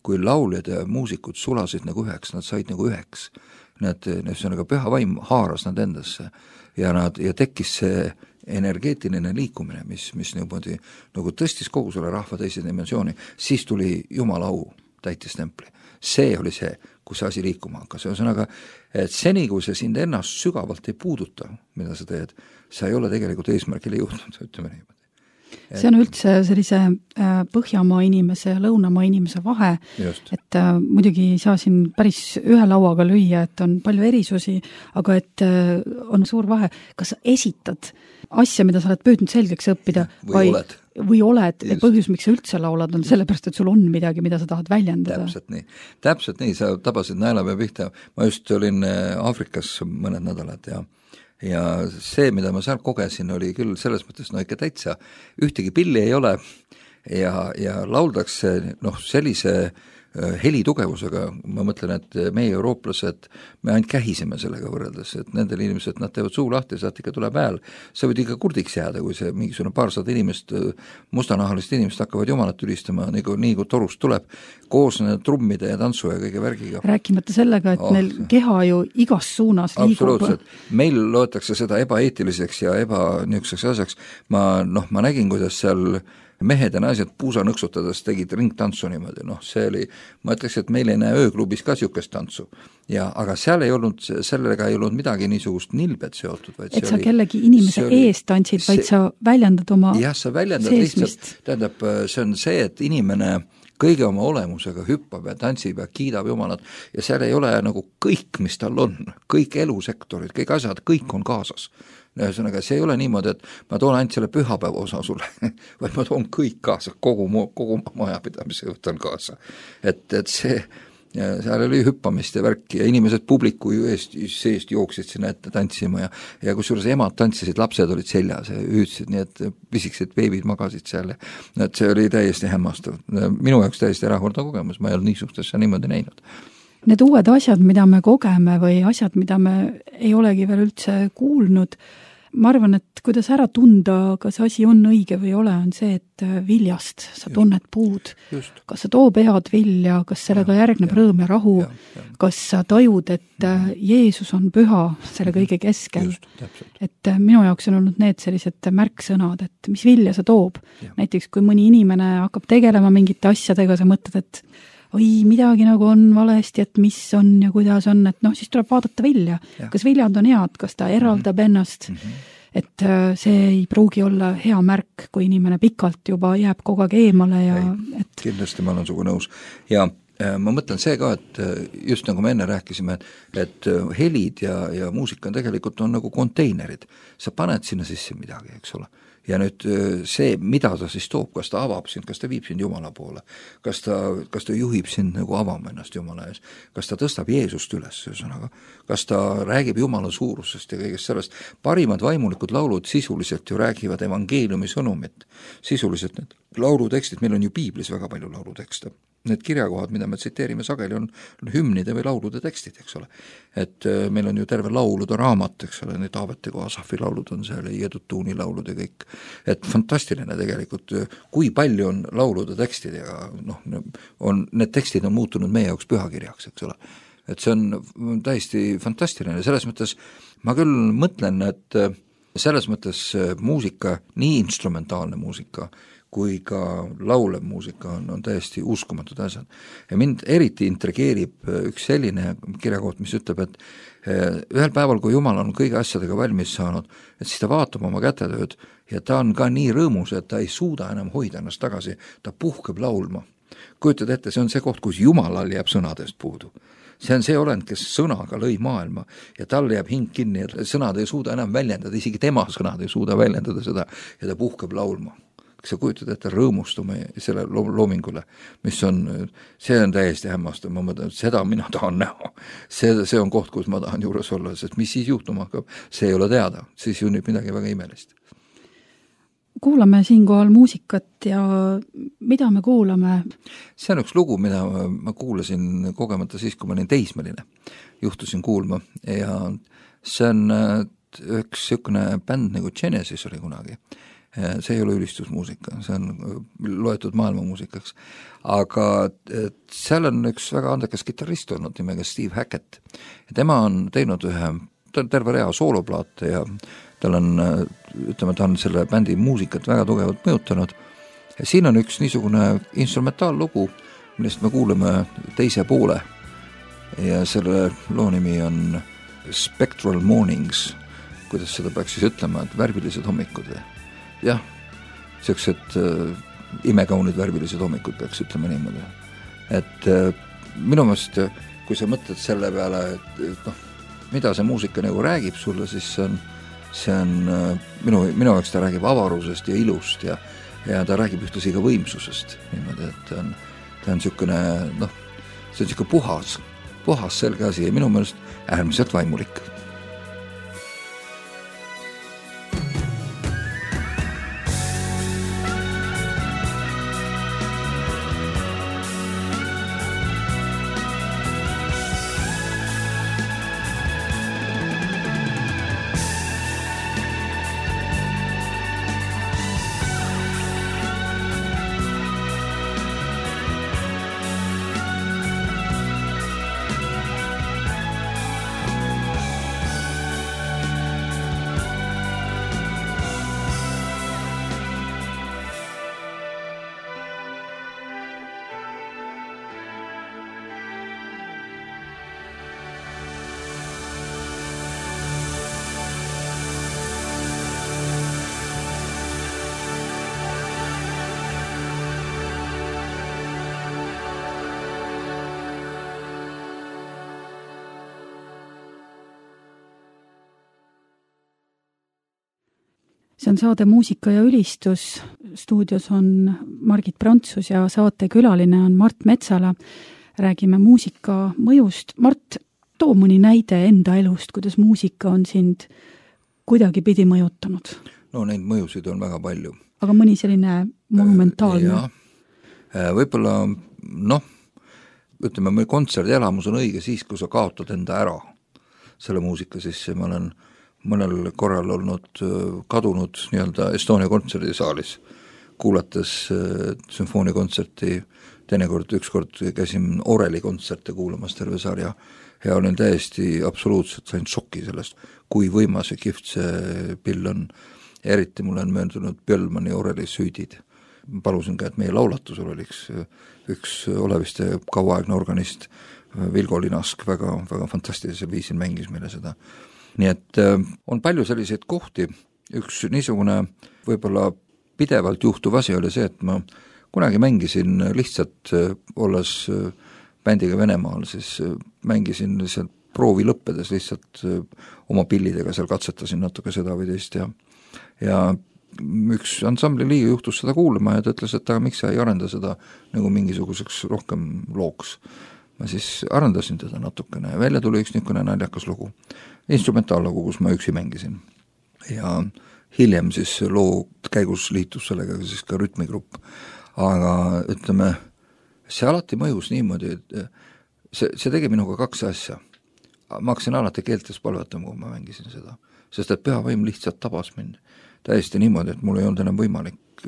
kui lauljad ja muusikud sulasid nagu üheks, nad said nagu üheks. Need, need püha vaim haaras nad endasse ja, nad, ja tekkis see energeetiline liikumine, mis, mis niimoodi nagu tõstis kogu selle rahva teise dimensiooni, siis tuli Jumala au täitis templi. See oli see, kus asi liikuma hakkas. Ühesõnaga, et seni, kui see sind ennast sügavalt ei puuduta, mida sa teed, sa ei ole tegelikult eesmärgile jõudnud, ütleme niimoodi. See on üldse sellise Põhjamaa inimese ja Lõunamaa inimese vahe, Just. et äh, muidugi ei saa siin päris ühe lauaga lüüa, et on palju erisusi, aga et äh, on suur vahe, kas sa esitad asja, mida sa oled püüdnud selgeks õppida või vai, oled, või oled ja põhjus, miks sa üldse laulad, on sellepärast, et sul on midagi, mida sa tahad väljendada. Täpselt nii, täpselt nii, sa tabasid naelapea pihta, ma just olin Aafrikas mõned nädalad ja ja see, mida ma seal kogesin, oli küll selles mõttes no ikka täitsa, ühtegi pilli ei ole ja, ja lauldakse noh, sellise helitugevusega, ma mõtlen, et meie eurooplased, me ainult kähiseme sellega võrreldes, et nendel inimesed, nad teevad suu lahti, sealt ikka tuleb hääl, sa võid ikka kurdiks jääda, kui see mingisugune paarsada inimest, mustanahalist inimest hakkavad jumalat ülistama, nii kui, nii kui torust tuleb, koos nende trummide ja tantsu ja kõige värgiga. Rääkimata sellega, et oh, neil keha ju igas suunas liigub. Absoluutselt. Meil loetakse seda ebaeetiliseks ja ebanükseks asjaks. Ma, noh, ma nägin, kuidas seal mehed ja naised puusa nõksutades tegid ringtantsu niimoodi, noh see oli, ma ütleks, et meil ei näe ööklubis ka niisugust tantsu. Ja, aga seal ei olnud, sellega ei olnud midagi niisugust nilbet seotud. Vaid et sa oli, kellegi inimese oli, eest tantsid, vaid see, sa väljendad oma jah, sa väljendad seesmist. Lihtsalt, tähendab, see on see, et inimene kõige oma olemusega hüppab ja tantsib ja kiidab Jumalat ja seal ei ole nagu kõik, mis tal on, kõik elusektorid, kõik asjad, kõik on kaasas. Ühesõnaga, see ei ole niimoodi, et ma toon ainult selle pühapäeva osa sulle, vaid ma toon kõik kaasa, kogu, kogu majapidamise võtan kaasa. Et, et see, seal oli hüppamist ja värki ja inimesed publiku eest, seest jooksid sinna ette tantsima ja, ja kusjuures emad tantsisid, lapsed olid seljas ja hüüdsid, nii et pisikesed beebid magasid seal ja et see oli täiesti hämmastav. Minu jaoks täiesti erakordne kogemus, ma ei olnud niisugustesse niimoodi näinud. Need uued asjad, mida me kogeme või asjad, mida me ei olegi veel üldse kuulnud, ma arvan, et kuidas ära tunda, kas asi on õige või ei ole, on see, et viljast sa tunned puud. Just. Kas sa toob head vilja, kas sellega ja, järgneb ja, rõõm ja rahu, ja, ja. Kas sa tajud, et Jeesus on püha selle kõige keskel. Just, et minu jaoks on olnud need sellised märksõnad, et mis vilja sa toob. Ja. Näiteks, kui mõni inimene hakkab tegelema mingite asjadega, sa mõtled, et oi, midagi nagu on valesti, et mis on ja kuidas on, et noh, siis tuleb vaadata vilja. Ja. Kas viljad on head, kas ta eraldab mm-hmm. ennast, mm-hmm. et see ei pruugi olla hea märk, kui inimene pikalt juba jääb kogu aeg eemale ja ei, et kindlasti ma olen sugu nõus. Ja ma mõtlen see ka, et just nagu me enne rääkisime, et helid ja, ja muusika on tegelikult on nagu konteinerid. Sa paned sinna sisse midagi, eks ole. Ja nüüd see, mida ta siis toob, kas ta avab sind, kas ta viib sind Jumala poole, kas ta, kas ta juhib sind nagu avama ennast Jumala ees, kas ta tõstab Jeesust üles, ühesõnaga, kas ta räägib Jumala suurusest ja kõigest sellest. Parimad vaimulikud laulud sisuliselt ju räägivad evangeeliumi sõnumit. Sisuliselt need laulutekstid, meil on ju piiblis väga palju laulutekste. Need kirjakohad, mida me tsiteerime sageli, on hümnide või laulude tekstid, eks ole. Et meil on ju terve laulude raamat, eks ole, need Taaveti kui Asafi laulud on seal, Jedutuuni laulud ja kõik. Et fantastiline tegelikult, kui palju on laulude tekstid ja noh, on, need tekstid on muutunud meie jaoks pühakirjaks, eks ole. Et see on täiesti fantastiline, selles mõttes ma küll mõtlen, et selles mõttes muusika, nii instrumentaalne muusika, kui ka laulev muusika on, on täiesti uskumatud asjad. Ja mind eriti intrigeerib üks selline kirjakoht, mis ütleb, et ühel päeval, kui Jumal on kõige asjadega valmis saanud, et siis ta vaatab oma kätetööd ja ta on ka nii rõõmus, et ta ei suuda enam hoida ennast tagasi, ta puhkeb laulma. Kujutad ette, see on see koht, kus Jumalal jääb sõnadest puudu. See on see olend, kes sõnaga lõi maailma ja tal jääb hing kinni ja sõnad ei suuda enam väljendada, isegi tema sõnad ei suuda väljendada seda ja ta puhkeb laulma. Sa kujutad ette rõõmustume selle loomingule, mis on, see on täiesti hämmastav, ma mõtlen, seda mina tahan näha. See, see on koht, kus ma tahan juures olla, sest mis siis juhtuma hakkab, see ei ole teada, siis junnib midagi väga imelist. Kuulame siinkohal muusikat ja mida me kuulame? See on üks lugu, mida ma kuulasin kogemata siis, kui ma olin teismeline. Juhtusin kuulma ja see on üks sükune bänd nagu Genesis oli kunagi. See ei ole ülistusmuusika, see on loetud maailmamuusikaks. Aga seal on üks väga andekas kitarrist olnud nimega Steve Hackett. Ja tema on teinud ühe terve rea sooloplaate ja tal on, ütleme, ta on selle bändi muusikat väga tugevalt mõjutanud. Ja siin on üks niisugune instrumentaallugu, millest me kuuleme teise poole. Ja selle loo nimi on Spectral Mornings, kuidas seda peaks siis ütlema, et värvilised hommikud. Jah, sellised äh, imekaunid värvilised hommikud peaks ütlema niimoodi. Et äh, minu meelest, kui sa mõtled selle peale, et, et noh, mida see muusika nagu räägib sulle, siis see on, see on äh, minu, minu jaoks ta räägib avarusest ja ilust ja, ja ta räägib ühtlasi ka võimsusest. Niimoodi, et ta on, ta on niisugune, noh, see on niisugune puhas, puhas selge asi ja minu meelest äärmiselt vaimulik. see on saade Muusika ja ülistus. Stuudios on Margit Prantsus ja saate külaline on Mart Metsala. Räägime muusika mõjust. Mart, too mõni näide enda elust, kuidas muusika on sind kuidagi pidi mõjutanud? No neid mõjusid on väga palju. Aga mõni selline monumentaalne? Ja, võib-olla, noh, ütleme, meil kontserdi elamus on õige siis, kui sa kaotad enda ära selle muusika sisse. Ma olen mõnel korral olnud kadunud nii-öelda Estonia kontserdisaalis, kuulates sümfoonikontserti, teinekord ükskord käisin Oreli kontserte kuulamas terve sarja ja olin täiesti absoluutselt sain šoki sellest, kui võimas ja kihvt see pill on. Eriti mul on mööndunud Björlmani Oreli süüdid. Palusin ka, et meie laulatusel oliks üks oleviste kauaaegne organist Vilgo Linask väga, väga fantastilisel viisil mängis meile seda. Nii et on palju selliseid kohti. Üks niisugune võib-olla pidevalt juhtuv asi oli see, et ma kunagi mängisin lihtsalt, olles bändiga Venemaal, siis mängisin lihtsalt proovi lõppedes lihtsalt oma pillidega, seal katsetasin natuke seda või teist ja, ja üks ansambli liige juhtus seda kuulama ja ta ütles, et aga miks sa ei arenda seda nagu mingisuguseks rohkem looks. Ma siis arendasin teda natukene ja välja tuli üks niisugune naljakas lugu, instrumentaallugu, kus ma üksi mängisin. Ja hiljem siis loo käigus liitus sellega siis ka rütmigrupp. Aga ütleme, see alati mõjus niimoodi, et see, see tegi minuga kaks asja. Ma hakkasin alati keeltes palvetama, kui ma mängisin seda, sest et pühavaim lihtsalt tabas mind täiesti niimoodi, et mul ei olnud enam võimalik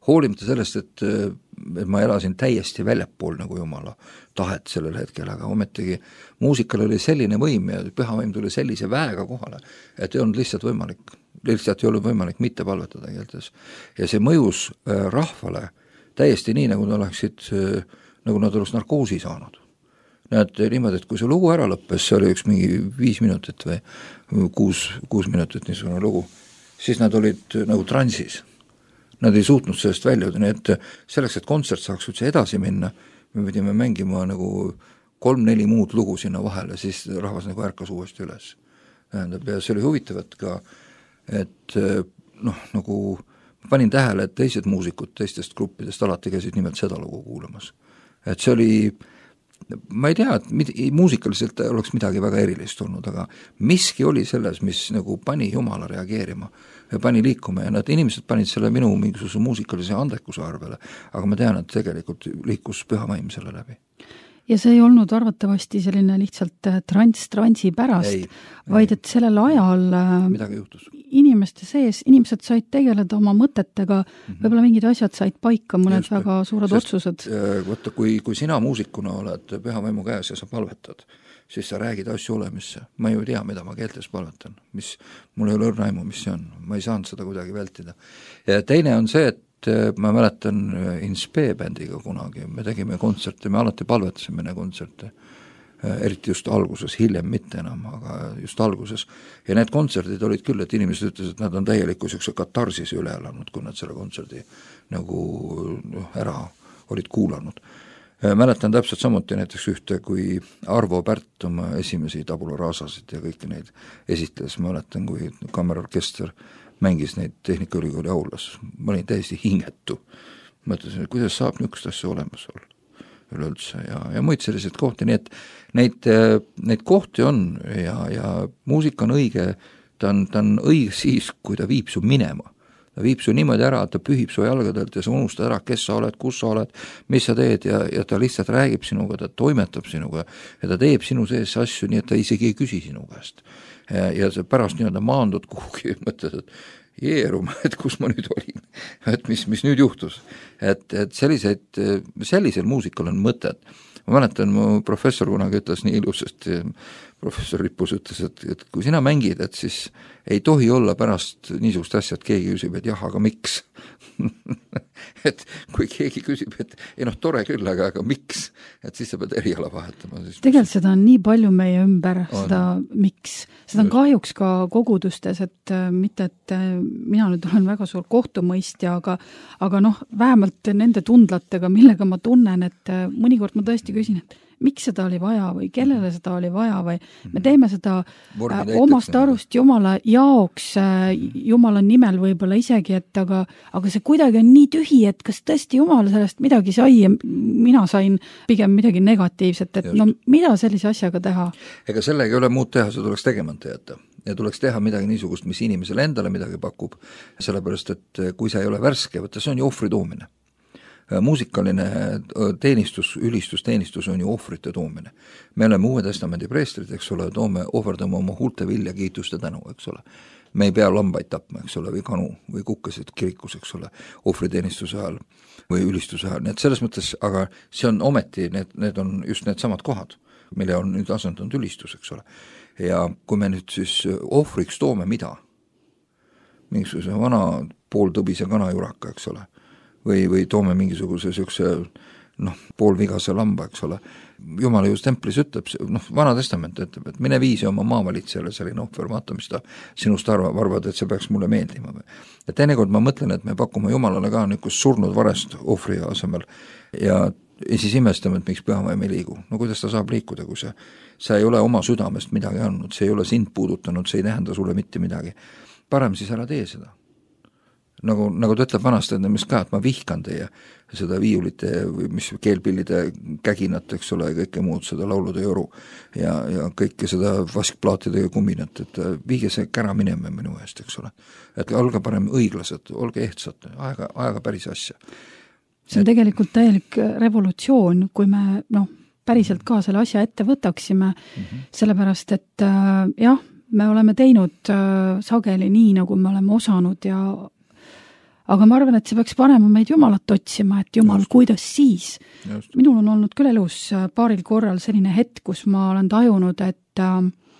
hoolimata sellest, et, et ma elasin täiesti väljapool nagu Jumala tahet sellel hetkel, aga ometigi muusikal oli selline võim ja pühavaim tuli sellise väega kohale, et ei olnud lihtsalt võimalik, lihtsalt ei olnud võimalik mitte palvetada keeltes. Ja see mõjus rahvale täiesti nii, nagu nad oleksid, nagu nad oleks narkoosi saanud. Näed niimoodi, et kui see lugu ära lõppes, see oli üks mingi viis minutit või kuus, kuus minutit niisugune lugu, siis nad olid nagu transis. Nad ei suutnud sellest välja, nii et selleks, et kontsert saaks üldse edasi minna, me pidime mängima nagu kolm-neli muud lugu sinna vahele, siis rahvas nagu ärkas uuesti üles. Ja see oli huvitav, et ka, et noh, nagu panin tähele, et teised muusikud teistest gruppidest alati käisid nimelt seda lugu kuulamas. Et see oli, ma ei tea, et mid, muusikaliselt oleks midagi väga erilist olnud, aga miski oli selles, mis nagu pani Jumala reageerima ja pani liikuma ja nad inimesed panid selle minu mingisuguse muusikalise andekuse arvele, aga ma tean, et tegelikult liikus pühavaim selle läbi. Ja see ei olnud arvatavasti selline lihtsalt trans-transi pärast, ei, vaid et sellel ajal midagi juhtus. Inimeste sees, inimesed said tegeleda oma mõtetega, mm-hmm. võib-olla mingid asjad said paika, mõned Just, väga suured sest, otsused. Võtta, kui, kui sina muusikuna oled pühavaimu käes ja sa palvetad, siis sa räägid asju olemisse. Ma ju tea, mida ma keeltes palvetan, mis mul ei ole õrnaimu, mis see on. Ma ei saanud seda kuidagi vältida. Ja teine on see, et ma mäletan Inspe bändiga kunagi, me tegime kontserte, me alati palvetasime ne kontserte, eriti just alguses, hiljem mitte enam, aga just alguses. Ja need kontserdid olid küll, et inimesed ütles, et nad on täieliku selline katarsise üle elanud, kui nad selle kontserdi nagu ära olid kuulanud. Mäletan täpselt samuti näiteks ühte, kui Arvo Pärt oma esimesi tabula raasasid ja kõiki neid esitles, mäletan, kui kammerorkester mängis neid Tehnikaülikooli aulas. Ma olin täiesti hingetu. Mõtlesin, et kuidas saab niisugust asja olemas olla üleüldse ja, ja muid selliseid kohti, nii et neid, neid kohti on ja, ja muusika on õige, ta on, ta on õige siis, kui ta viib su minema. Ta viib su niimoodi ära, et ta pühib su jalgadelt ja sa unustad ära, kes sa oled, kus sa oled, mis sa teed ja, ja ta lihtsalt räägib sinuga, ta toimetab sinuga ja ta teeb sinu sees asju, nii et ta isegi ei küsi sinu käest. Ja, ja sa pärast nii-öelda maandud kuhugi ja mõtled, et jeeruma, et kus ma nüüd olin, et mis, mis nüüd juhtus. Et, et selliseid, sellisel muusikal on mõtet. Ma mäletan, mu professor kunagi ütles nii ilusasti, professor Rippus ütles, et, et kui sina mängid, et siis ei tohi olla pärast niisugust asja, et keegi küsib, et jah, aga miks? et kui keegi küsib, et ei noh, tore küll, aga, aga miks? Et siis sa pead eriala vahetama. Siis tegelikult seda on nii palju meie ümber, on. Seda miks. Seda on kahjuks ka kogudustes, et mitte, et mina nüüd olen väga suur kohtumõistja, aga, aga noh, vähemalt nende tundlatega, millega ma tunnen, et mõnikord ma tõesti küsin, et miks seda oli vaja või kellele seda oli vaja või me teeme seda Vormi äh, omast arust Jumala jaoks, äh, Jumala nimel võib-olla isegi, et aga, aga see kuidagi on nii tühi, et kas tõesti Jumal sellest midagi sai ja mina sain pigem midagi negatiivset, et Just. no mida sellise asjaga teha? Ega sellega ei ole muud teha, see tuleks tegemata jätta. Ja tuleks teha midagi niisugust, mis inimesele endale midagi pakub, sellepärast, et kui see ei ole värske, võtta, see on ju ohvri toomine. Muusikaline teenistus, ülistusteenistus on ju ohvrite toomine. Me oleme Uue Testamendi preestrid, eks ole, toome, ohverdame oma huulte vilja, kiituste tänu, eks ole. Me ei pea lambaid tapma, eks ole, või kanu, või kukkesid kirikus, eks ole, ohvriteenistuse ajal või ülistuse ajal. Nii et selles mõttes, aga see on ometi, need, need on just need samad kohad, mille on nüüd asendunud ülistus, eks ole. Ja kui me nüüd siis ohvriks toome mida? Mingisuguse vana pooltõbise kanajuraka, eks ole, või, või toome mingisuguse siukse noh, poolvigase lamba, eks ole. Jumala just templis ütleb, noh, Vana Testament ütleb, et mine viisi oma maavalitsejale selline ohver, vaata, mis ta sinust arvab, arvad, et see peaks mulle meeldima. Ja teinekord ma mõtlen, et me pakume Jumalale ka niisugust surnud varest ohvri asemel ja, ja siis imestame, et miks pühavaim ei liigu. No kuidas ta saab liikuda, kui see, sa ei ole oma südamest midagi andnud, see ei ole sind puudutanud, see ei tähenda sulle mitte midagi. Parem siis ära tee seda. Nagu, nagu ta ütleb vanast, et mis ka, et ma vihkan teie seda viiulite või mis keelpillide käginat, eks ole, kõike muud, seda laulude joru ja, ja kõike seda vaskplaatidega kuminat, et viige see kära minema minu eest, eks ole. Et olge parem õiglased, olge ehtsad, aega, aega päris asja. See on et... tegelikult täielik revolutsioon, kui me noh, päriselt ka selle asja ette võtaksime, mm-hmm. sellepärast, et äh, jah, me oleme teinud äh, sageli nii, nagu me oleme osanud ja aga ma arvan, et see peaks panema meid Jumalat otsima, et Jumal, Just. kuidas siis? Just. Minul on olnud küll elus paaril korral selline hetk, kus ma olen tajunud, et äh,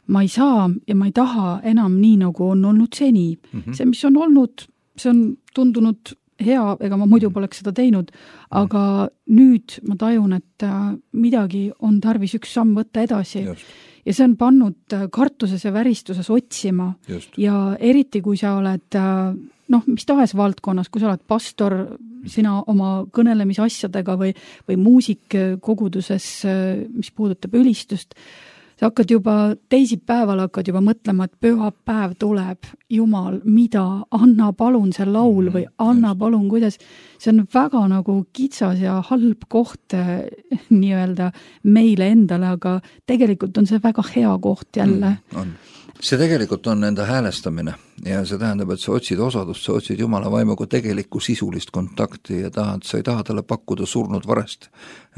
ma ei saa ja ma ei taha enam nii, nagu on olnud seni. Mm-hmm. See, mis on olnud, see on tundunud hea, ega ma muidu poleks seda teinud, aga nüüd ma tajun, et äh, midagi on tarvis üks samm võtta edasi. Just. Ja see on pannud kartuses ja väristuses otsima. Just. Ja eriti, kui sa oled noh, mis tahes valdkonnas, kui sa oled pastor, sina oma kõnelemisasjadega või, või muusik koguduses, mis puudutab ülistust, sa hakkad juba teisipäeval hakkad juba mõtlema, et pühapäev tuleb, Jumal, mida, anna palun see laul või anna palun, kuidas, see on väga nagu kitsas ja halb koht nii-öelda meile endale, aga tegelikult on see väga hea koht jälle. Mm, on. See tegelikult on enda häälestamine ja see tähendab, et sa otsid osadust, sa otsid Jumala vaimuga tegelikku sisulist kontakti ja tahad, sa ei taha talle pakkuda surnud varest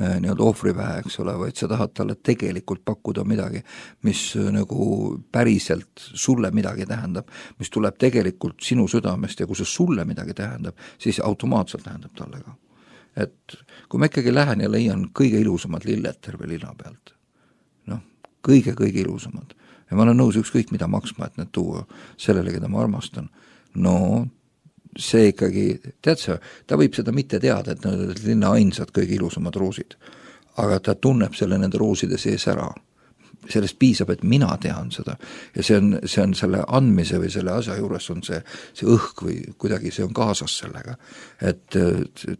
nii-öelda ohvripähe, eks ole, vaid sa tahad talle tegelikult pakkuda midagi, mis nagu päriselt sulle midagi tähendab, mis tuleb tegelikult sinu südamest ja kui see sulle midagi tähendab, siis automaatselt tähendab talle ka. Et kui ma ikkagi lähen ja leian kõige ilusamad lilled terve linna pealt, noh, kõige-kõige ilusamad, ja ma olen nõus ükskõik mida maksma, et need tuua sellele, keda ma armastan. No see ikkagi, tead sa, ta võib seda mitte teada, et need on linna ainsad kõige ilusamad roosid, aga ta tunneb selle nende rooside sees ära. Sellest piisab, et mina tean seda ja see on, see on selle andmise või selle asja juures on see, see õhk või kuidagi see on kaasas sellega, et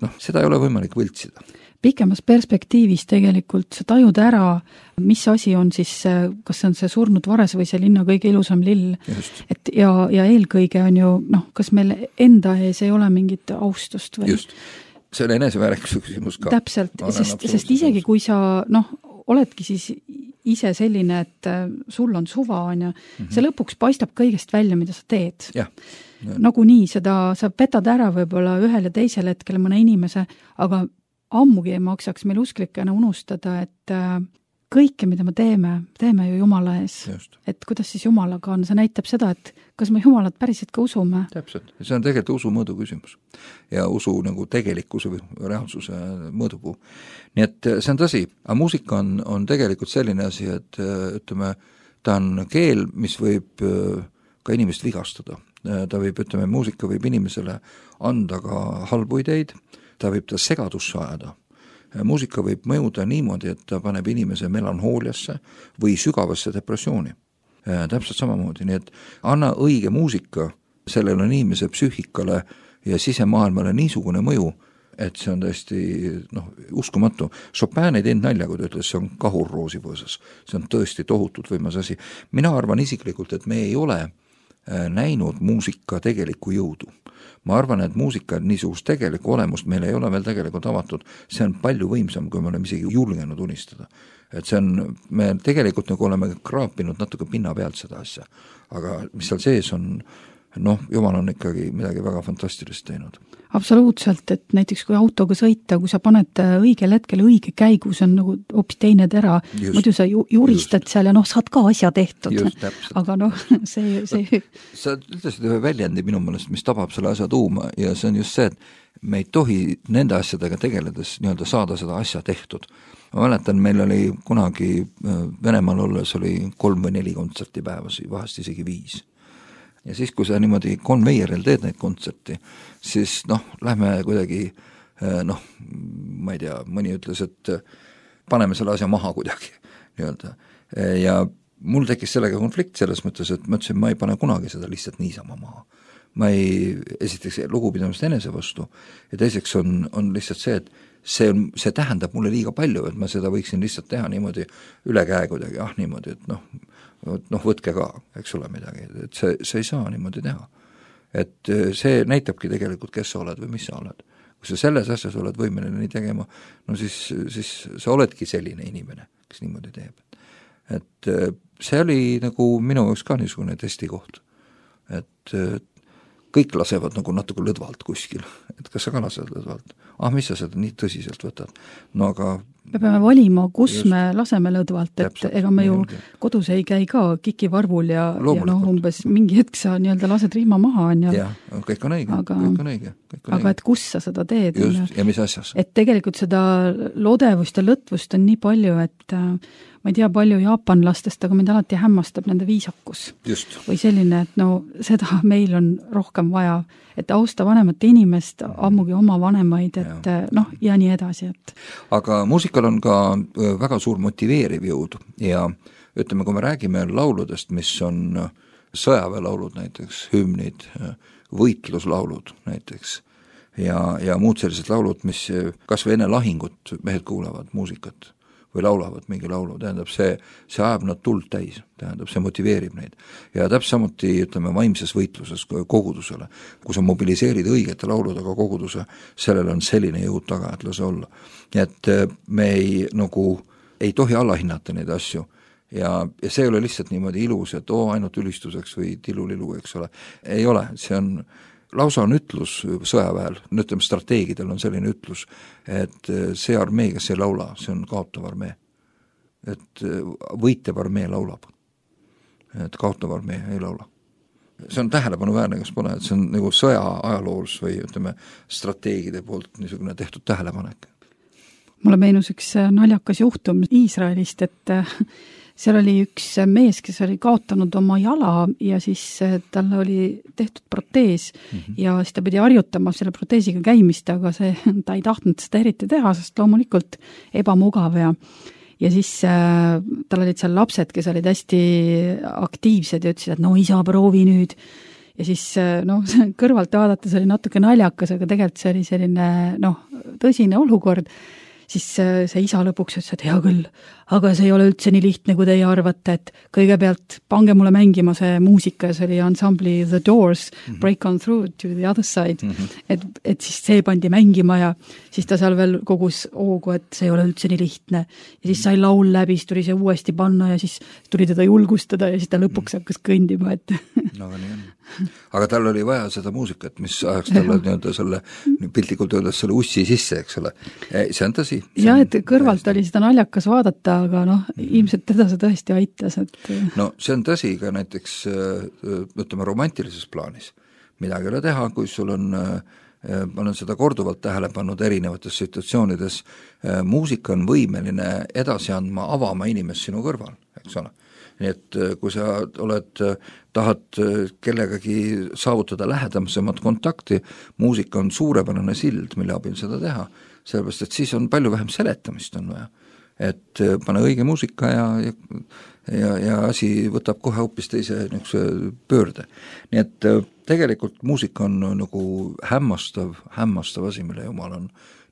noh, seda ei ole võimalik võltsida. Pikemas perspektiivis tegelikult sa tajud ära, mis asi on siis, kas see on see surnud vares või see linna kõige ilusam lill. Just. Et ja, ja eelkõige on ju, noh, kas meil enda ees ei ole mingit austust või? Just, see on eneseväärikus küsimus ka. Täpselt, sest, sest isegi kui sa, noh, oledki siis ise selline, et sul on suva, on ja mm-hmm. see lõpuks paistab kõigest välja, mida sa teed. Ja. Ja. Nagu nii, seda sa petad ära võib-olla ühel ja teisel hetkel mõne inimese, aga ammugi ei maksaks meil usklikena unustada, et kõike, mida me teeme, teeme ju Jumala ees. Just. Et kuidas siis Jumalaga on, see näitab seda, et kas me Jumalat päriselt ka usume. Täpselt, see on tegelikult usu mõõdu küsimus ja usu nagu tegelikkuse või reaalsuse mõõdupuu. Nii et see on tõsi, aga muusika on, on tegelikult selline asi, et ütleme, ta on keel, mis võib ka inimest vigastada. Ta võib, ütleme, muusika võib inimesele anda ka halbu ideid, ta võib ta segadusse ajada. Muusika võib mõjuda niimoodi, et ta paneb inimese melanhooliasse või sügavasse depressiooni. Täpselt samamoodi, nii et anna õige muusika sellele inimese psüühikale ja sisemaailmale niisugune mõju, et see on tõesti noh, uskumatu. Chopin ei teinud nalja, kui ta ütles, see on kahur roosipõõsas. See on tõesti tohutult võimas asi. Mina arvan isiklikult, et me ei ole näinud muusika tegelikku jõudu. Ma arvan, et muusika niisugust tegelikku olemust meil ei ole veel tegelikult avatud. See on palju võimsam, kui me oleme isegi julgenud unistada. Et see on, me tegelikult nagu oleme kraapinud natuke pinna pealt seda asja. Aga mis seal sees on, noh, jumal on ikkagi midagi väga fantastilist teinud. Absoluutselt, et näiteks kui autoga sõita, kui sa paned õigel hetkel õige käigu, see on nagu hoopis teine tera, just, muidu sa ju, juristad just. Seal ja noh, saad ka asja tehtud. Just, aga noh, see... see... Sa ütlesid ühe väljendi minu mõelest, mis tabab selle asja tuuma ja see on just see, et me ei tohi nende asjadega tegeledes nii-öelda saada seda asja tehtud. Ma mäletan, meil oli kunagi Venemaal olles oli kolm või neli kontserti päevas, vahest isegi viis. Ja siis, kui sa niimoodi konveieril teed neid kontserti, siis noh, lähme kuidagi, noh, ma ei tea, mõni ütles, et paneme selle asja maha kuidagi, nii-öelda. Ja mul tekkis sellega konflikt selles mõttes, et ma ütlesin, ma ei pane kunagi seda lihtsalt niisama maha. Ma ei, esiteks lugupidamist enese vastu ja teiseks on, on lihtsalt see, et see, on, see tähendab mulle liiga palju, et ma seda võiksin lihtsalt teha niimoodi üle käe kuidagi, ah niimoodi, et noh, noh, võtke ka, eks ole midagi, et see, see ei saa niimoodi teha. Et see näitabki tegelikult, kes sa oled või mis sa oled. Kui sa selles asjas oled võimeline nii tegema, no siis, siis sa oledki selline inimene, kes niimoodi teeb. Et see oli nagu minu jaoks ka niisugune testikoht. Et kõik lasevad nagu natuke lõdvalt kuskil, et kas sa ka lased lõdvalt? Ah, mis sa seda nii tõsiselt võtad? No aga... Me peame valima, kus just, me laseme lõdvalt, et täpselt, ega me ju kodus ei käi ka kikivarvul ja, ja noh, umbes mingi hetk sa nii-öelda lased rihma maha. On ja, ja, kõik on õige, aga, kõik on õige. Kõik on aga õige. Et kus sa seda teed? Just, ja mis asjas? Et tegelikult seda lodevust ja lõtvust on nii palju, et ma ei tea palju jaapanlastest, aga mind alati hämmastab nende viisakus. Just. Või selline, et no seda meil on rohkem vaja, et austa vanemat inimest, ammugi oma vanemaid, et ja. noh, ja nii edasi. Et... Aga muusikal on ka väga suur motiveeriv jõud ja ütleme, kui me räägime lauludest, mis on sõjaväelaulud näiteks, hümnid, võitluslaulud näiteks ja, ja muud sellised laulud, mis kas või enne lahingut mehed kuulavad muusikat või laulavad mingi laulu, tähendab see, see ajab nad tuld täis, tähendab see motiveerib neid. Ja täpselt samuti, ütleme, vaimses võitluses kogudusele, kui sa mobiliseerid õigete lauludega koguduse, sellel on selline jõud taga, et lase olla. Et me ei, nagu, ei tohi allahinnata neid asju ja, ja see ei ole lihtsalt niimoodi ilus, et oo, ainult ülistuseks või tilulilu, eks ole. Ei ole, see on lausa on ütlus sõjaväel, ütleme strateegidel on selline ütlus, et see armee, kes ei laula, see on kaotav armee. Et võitev armee laulab. Et kaotav armee ei laula. See on tähelepanuväärne, kas pole, et see on nagu sõja ajaloos või ütleme strateegide poolt niisugune tehtud tähelepanek. Mulle meenus üks naljakas juhtum Iisraelist, et seal oli üks mees, kes oli kaotanud oma jala ja siis talle oli tehtud protees mm-hmm. ja siis ta pidi harjutama selle proteesiga käimist, aga see, ta ei tahtnud seda eriti teha, sest loomulikult ebamugav ja ja siis äh, tal olid seal lapsed, kes olid hästi aktiivsed ja ütlesid, et no isa, proovi nüüd. Ja siis äh, noh, kõrvalt vaadates oli natuke naljakas, aga tegelikult see oli selline noh, tõsine olukord. Siis see isa lõpuks ütles, et hea küll, aga see ei ole üldse nii lihtne, kui teie arvate, et kõigepealt pange mulle mängima see muusika ja see oli ansambli The Doors, mm-hmm. Break on Through to the Other Side, mm-hmm. et, et siis see pandi mängima ja siis ta seal veel kogus oogu, et see ei ole üldse nii lihtne. Ja siis sai laul läbi, siis tuli see uuesti panna ja siis tuli teda julgustada ja siis ta lõpuks hakkas kõndima, et... no, nii on. Aga tal oli vaja seda muusikat, mis ajaks talle nii-öelda selle, piltlikult öeldes selle ussi sisse, eks ole. See on tõsi. Ja, et kõrvalt oli seda naljakas vaadata, aga noh, ilmselt teda see tõesti aitas. Et... no see on tõsi ka näiteks, ütleme, romantilises plaanis. Midagi ei ole teha, kui sul on, ma olen seda korduvalt tähele pannud erinevates situatsioonides, muusika on võimeline edasi andma, avama inimest sinu kõrval, eks ole. Nii et kui sa oled, tahad kellegagi saavutada lähedamsemat kontakti, muusika on suurepärane sild, mille abil seda teha, sellepärast, et siis on palju vähem seletamist on vaja. et pane õige muusika ja, ja ja, ja asi võtab kohe hoopis teise niisuguse pöörde. Nii et tegelikult muusika on nagu hämmastav, hämmastav asi, mille Jumal on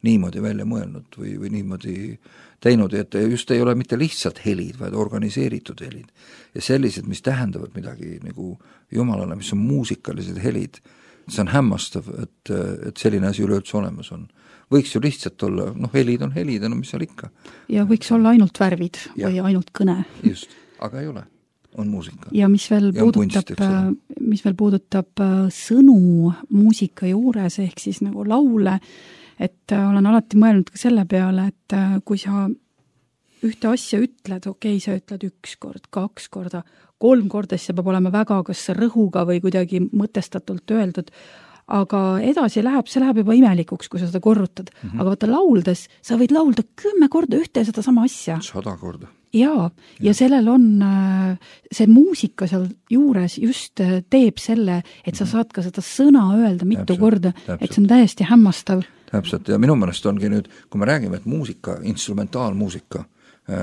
niimoodi välja mõelnud või, või niimoodi teinud, et just ei ole mitte lihtsalt helid, vaid organiseeritud helid. Ja sellised, mis tähendavad midagi nagu Jumalale, mis on muusikalised helid, see on hämmastav, et, et selline asi üleüldse olemas on. Võiks ju lihtsalt olla, noh, helid on helid, no mis seal ikka. Ja võiks olla ainult värvid ja. Või ainult kõne. Just, aga ei ole, on muusika. Ja mis veel ja puudutab, kunst, mis veel puudutab sõnu muusika juures, ehk siis nagu laule, et olen alati mõelnud ka selle peale, et kui sa ühte asja ütled, okei, okay, sa ütled üks kord, kaks korda, kolm korda, siis see peab olema väga kas rõhuga või kuidagi mõtestatult öeldud, aga edasi läheb, see läheb juba imelikuks, kui sa seda korrutad. Mm -hmm. Aga vaata lauldes, sa võid laulda kümme korda ühte ja seda sama asja. Sada korda. Jaa, ja sellel on see muusika seal juures just teeb selle, et sa saad ka seda sõna öelda mitu täpselt, korda, täpselt. Et see on täiesti hämmastav. Täpselt, ja minu mõnest ongi nüüd, kui me räägime, et muusika, instrumentaalmuusika,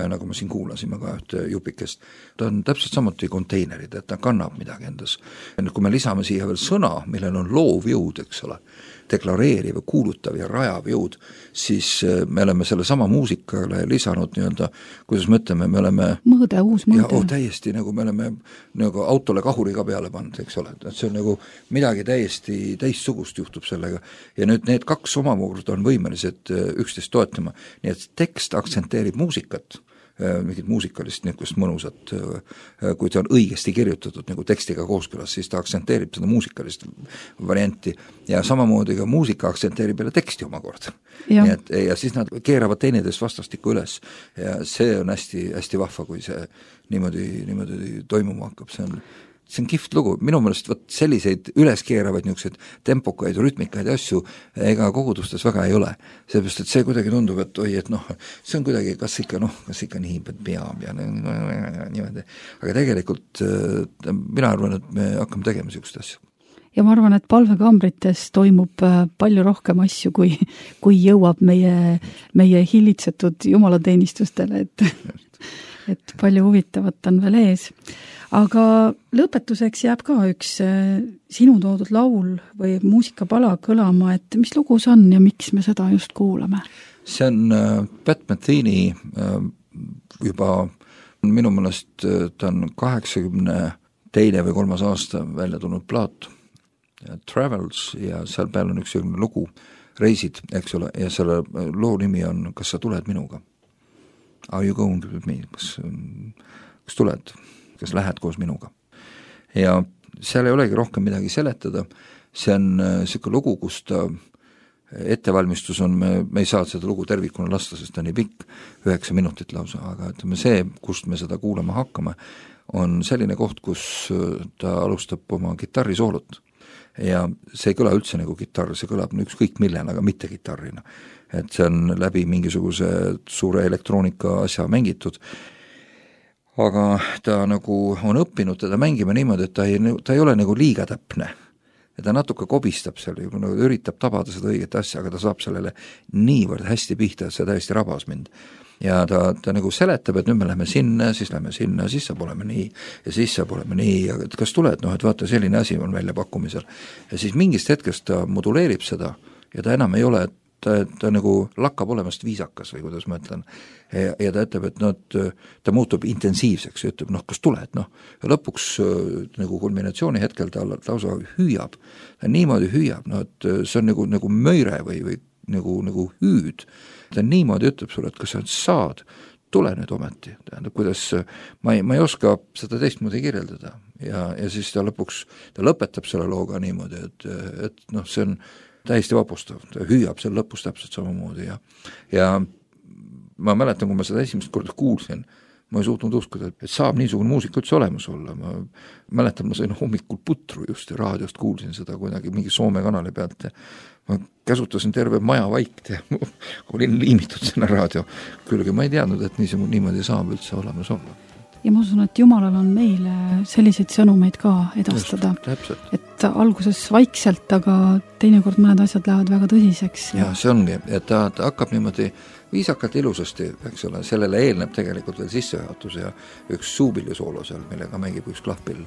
nagu me siin kuulasime ka ühte jupikest, ta on täpselt samuti konteinerid, et ta kannab midagi endas. Kui me lisame siia veel sõna, millel on loov jõud, eks ole, deklareeriv, kuulutav ja rajav jõud, siis me oleme selle sama muusikale lisanud nii-öelda, kuidas me ütleme, me oleme mõõde, uus mõõde. Ja oh, täiesti nagu me oleme nagu autole kahuri ka peale pannud, eks ole, et see on nagu midagi täiesti teistsugust juhtub sellega. Ja nüüd need kaks omamoodi on võimelised üksteist toetama, nii et tekst aktsenteerib muusikat, mingit muusikalist niisugust mõnusat, kui ta on õigesti kirjutatud nagu tekstiga kooskõlas, siis ta aktsenteerib seda muusikalist varianti ja samamoodi ka muusika aktsenteerib jälle teksti omakorda. Nii et, ja siis nad keeravad teineteist vastastikku üles ja see on hästi, hästi vahva, kui see niimoodi, niimoodi toimuma hakkab, see on see on kihvt lugu, minu mõelest võt selliseid üleskeeravaid niisuguseid tempokaid, rütmikaid asju ega kogudustes väga ei ole. Seepärast, et see kuidagi tundub, et oi, et noh, see on kuidagi, kas ikka, noh, kas ikka nii peab ja niimoodi. Aga tegelikult mina arvan, et me hakkame tegema niisugust asju. Ja ma arvan, et palvekambrites toimub palju rohkem asju, kui, kui jõuab meie, meie hillitsetud jumalateenistustele, et, et palju huvitavat on veel ees. Aga lõpetuseks jääb ka üks sinu toodud laul või muusikapala kõlama, et mis lugu see on ja miks me seda just kuulame? See on Pat Metheny juba minu mõelest ta on kaheksakümne teine või kolmas aasta välja tulnud plaat Travels ja seal peal on üks lugu Reisid, eks ole, ja selle loo nimi on Kas sa tuled minuga? Are you going to with me? Kas, kas tuled? Kas lähed koos minuga. Ja seal ei olegi rohkem midagi seletada, see on selline lugu, kus ta ettevalmistus on, me, me ei saa seda lugu tervikuna lasta, sest ta on nii pikk, üheksa minutit lausa, aga ütleme see, kust me seda kuulama hakkame, on selline koht, kus ta alustab oma kitarrisoolot ja see ei kõla üldse nagu kitarr, see kõlab ükskõik millena, aga mitte kitarrina. Et see on läbi mingisuguse suure elektroonika asja mängitud, aga ta nagu on õppinud teda mängima niimoodi, et ta ei, ta ei ole nagu liiga täpne. Ja ta natuke kobistab seal, nagu üritab tabada seda õiget asja, aga ta saab sellele niivõrd hästi pihta, et see täiesti rabas mind. Ja ta, ta nagu seletab, et nüüd me lähme sinna, siis lähme sinna, siis saab olema nii, ja siis saab olema nii, ja kas tuled, noh, et vaata, selline asi on välja pakkumisel. Ja siis mingist hetkest ta moduleerib seda, ja ta enam ei ole, et Ta, ta nagu lakkab olemast viisakas või kuidas ma ütlen. Ja, ja ta ütleb, et no, ta muutub intensiivseks ja ütleb, noh, kas tuled, noh. Ja lõpuks nagu kulminatsiooni hetkel ta lausa hüüab. Ta niimoodi hüüab, no, et see on nagu, nagu möire või, või nagu, nagu hüüd. Ta niimoodi ütleb sulle, et kas sa saad, tule nüüd ometi. Tähendab, kuidas, ma ei, ma ei oska seda teistmoodi kirjeldada. Ja, ja siis ta lõpuks, ta lõpetab selle looga niimoodi, et, et noh, see on täiesti vapustav, ta hüüab seal lõpus täpselt samamoodi ja, ja ma mäletan, kui ma seda esimest korda kuulsin, ma ei suutnud uskuda, et saab niisugune muusika üldse olemas olla, ma mäletan, ma sain hommikul putru just ja raadiost kuulsin seda kuidagi mingi Soome kanali pealt ja ma käsutasin terve maja vaikt ja olin liimitud sinna raadio külge, ma ei teadnud, et niisugune niimoodi saab üldse olemas olla. Ja ma usun, et Jumalal on meile selliseid sõnumeid ka edastada, just, et et alguses vaikselt, aga teinekord mõned asjad lähevad väga tõsiseks. Ja see ongi, et ta, ta hakkab niimoodi viisakalt ilusasti, eks ole, sellele eelneb tegelikult veel sissejuhatus ja üks suupillisoolo seal, millega mängib üks klahpill.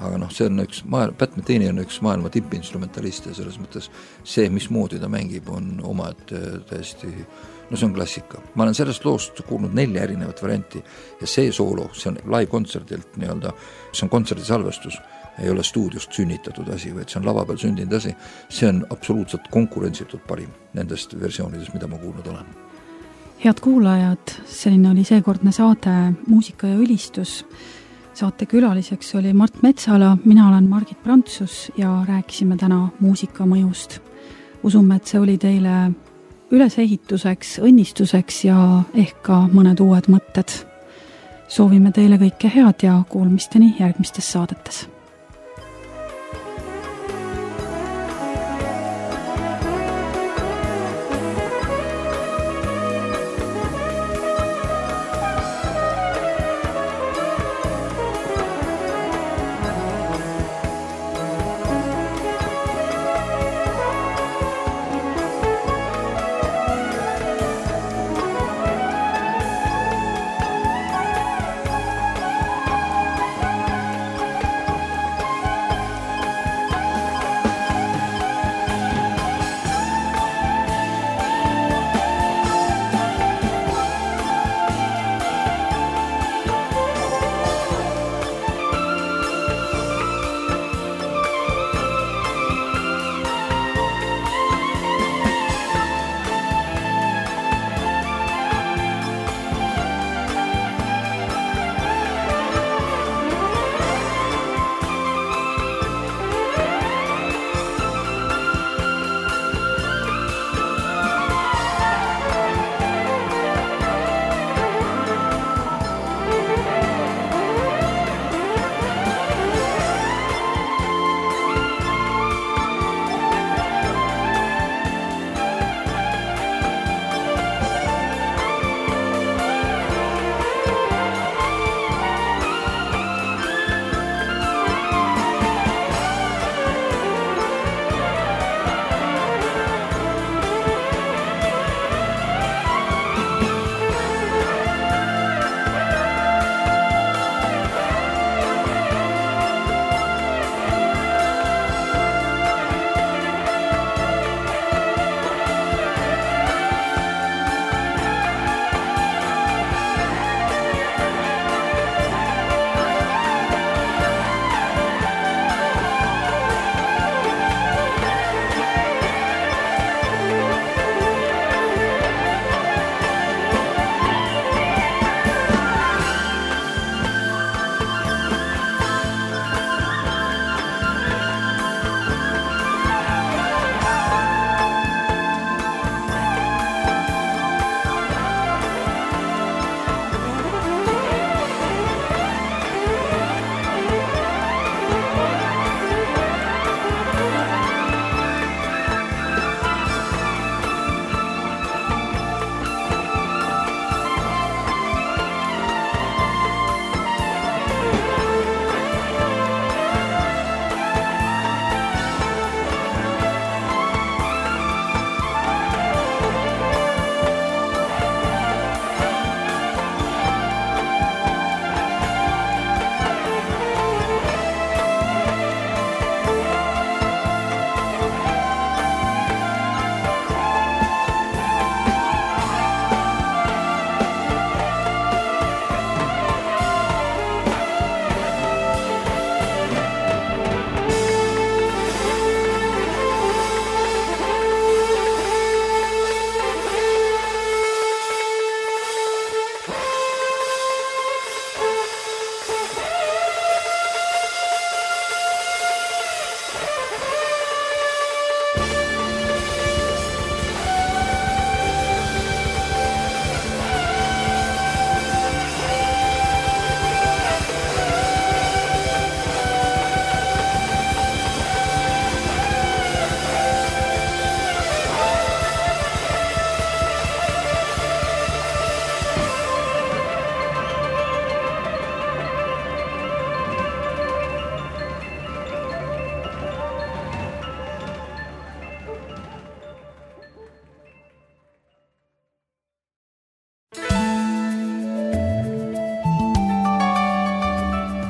Aga noh, see on üks maailma, Pat Metheny on üks maailma tippinstrumentalist ja selles mõttes see, mismoodi ta mängib, on oma, et täiesti, no see on klassika. Ma olen sellest loost kuulnud nelja erinevat varianti ja see soolo, see on live-kontserdilt nii-öelda, see on kontserdisalvestus, ei ole stuudiost sünnitatud asi, vaid see on lava peal sündinud asi, see on absoluutselt konkurentsitult parim nendest versioonidest, mida ma kuulnud olen. Head kuulajad, selline oli seekordne saade Muusika ja ülistus. Saate külaliseks oli Mart Metsala, mina olen Margit Prantsus ja rääkisime täna muusika mõjust. Usume, et see oli teile ülesehituseks, õnnistuseks ja ehk ka mõned uued mõtted. Soovime teile kõike head ja kuulmisteni järgmistes saadetes.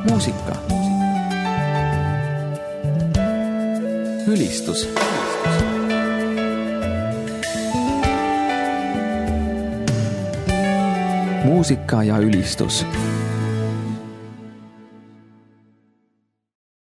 muusika, ülistus, muusika ja ülistus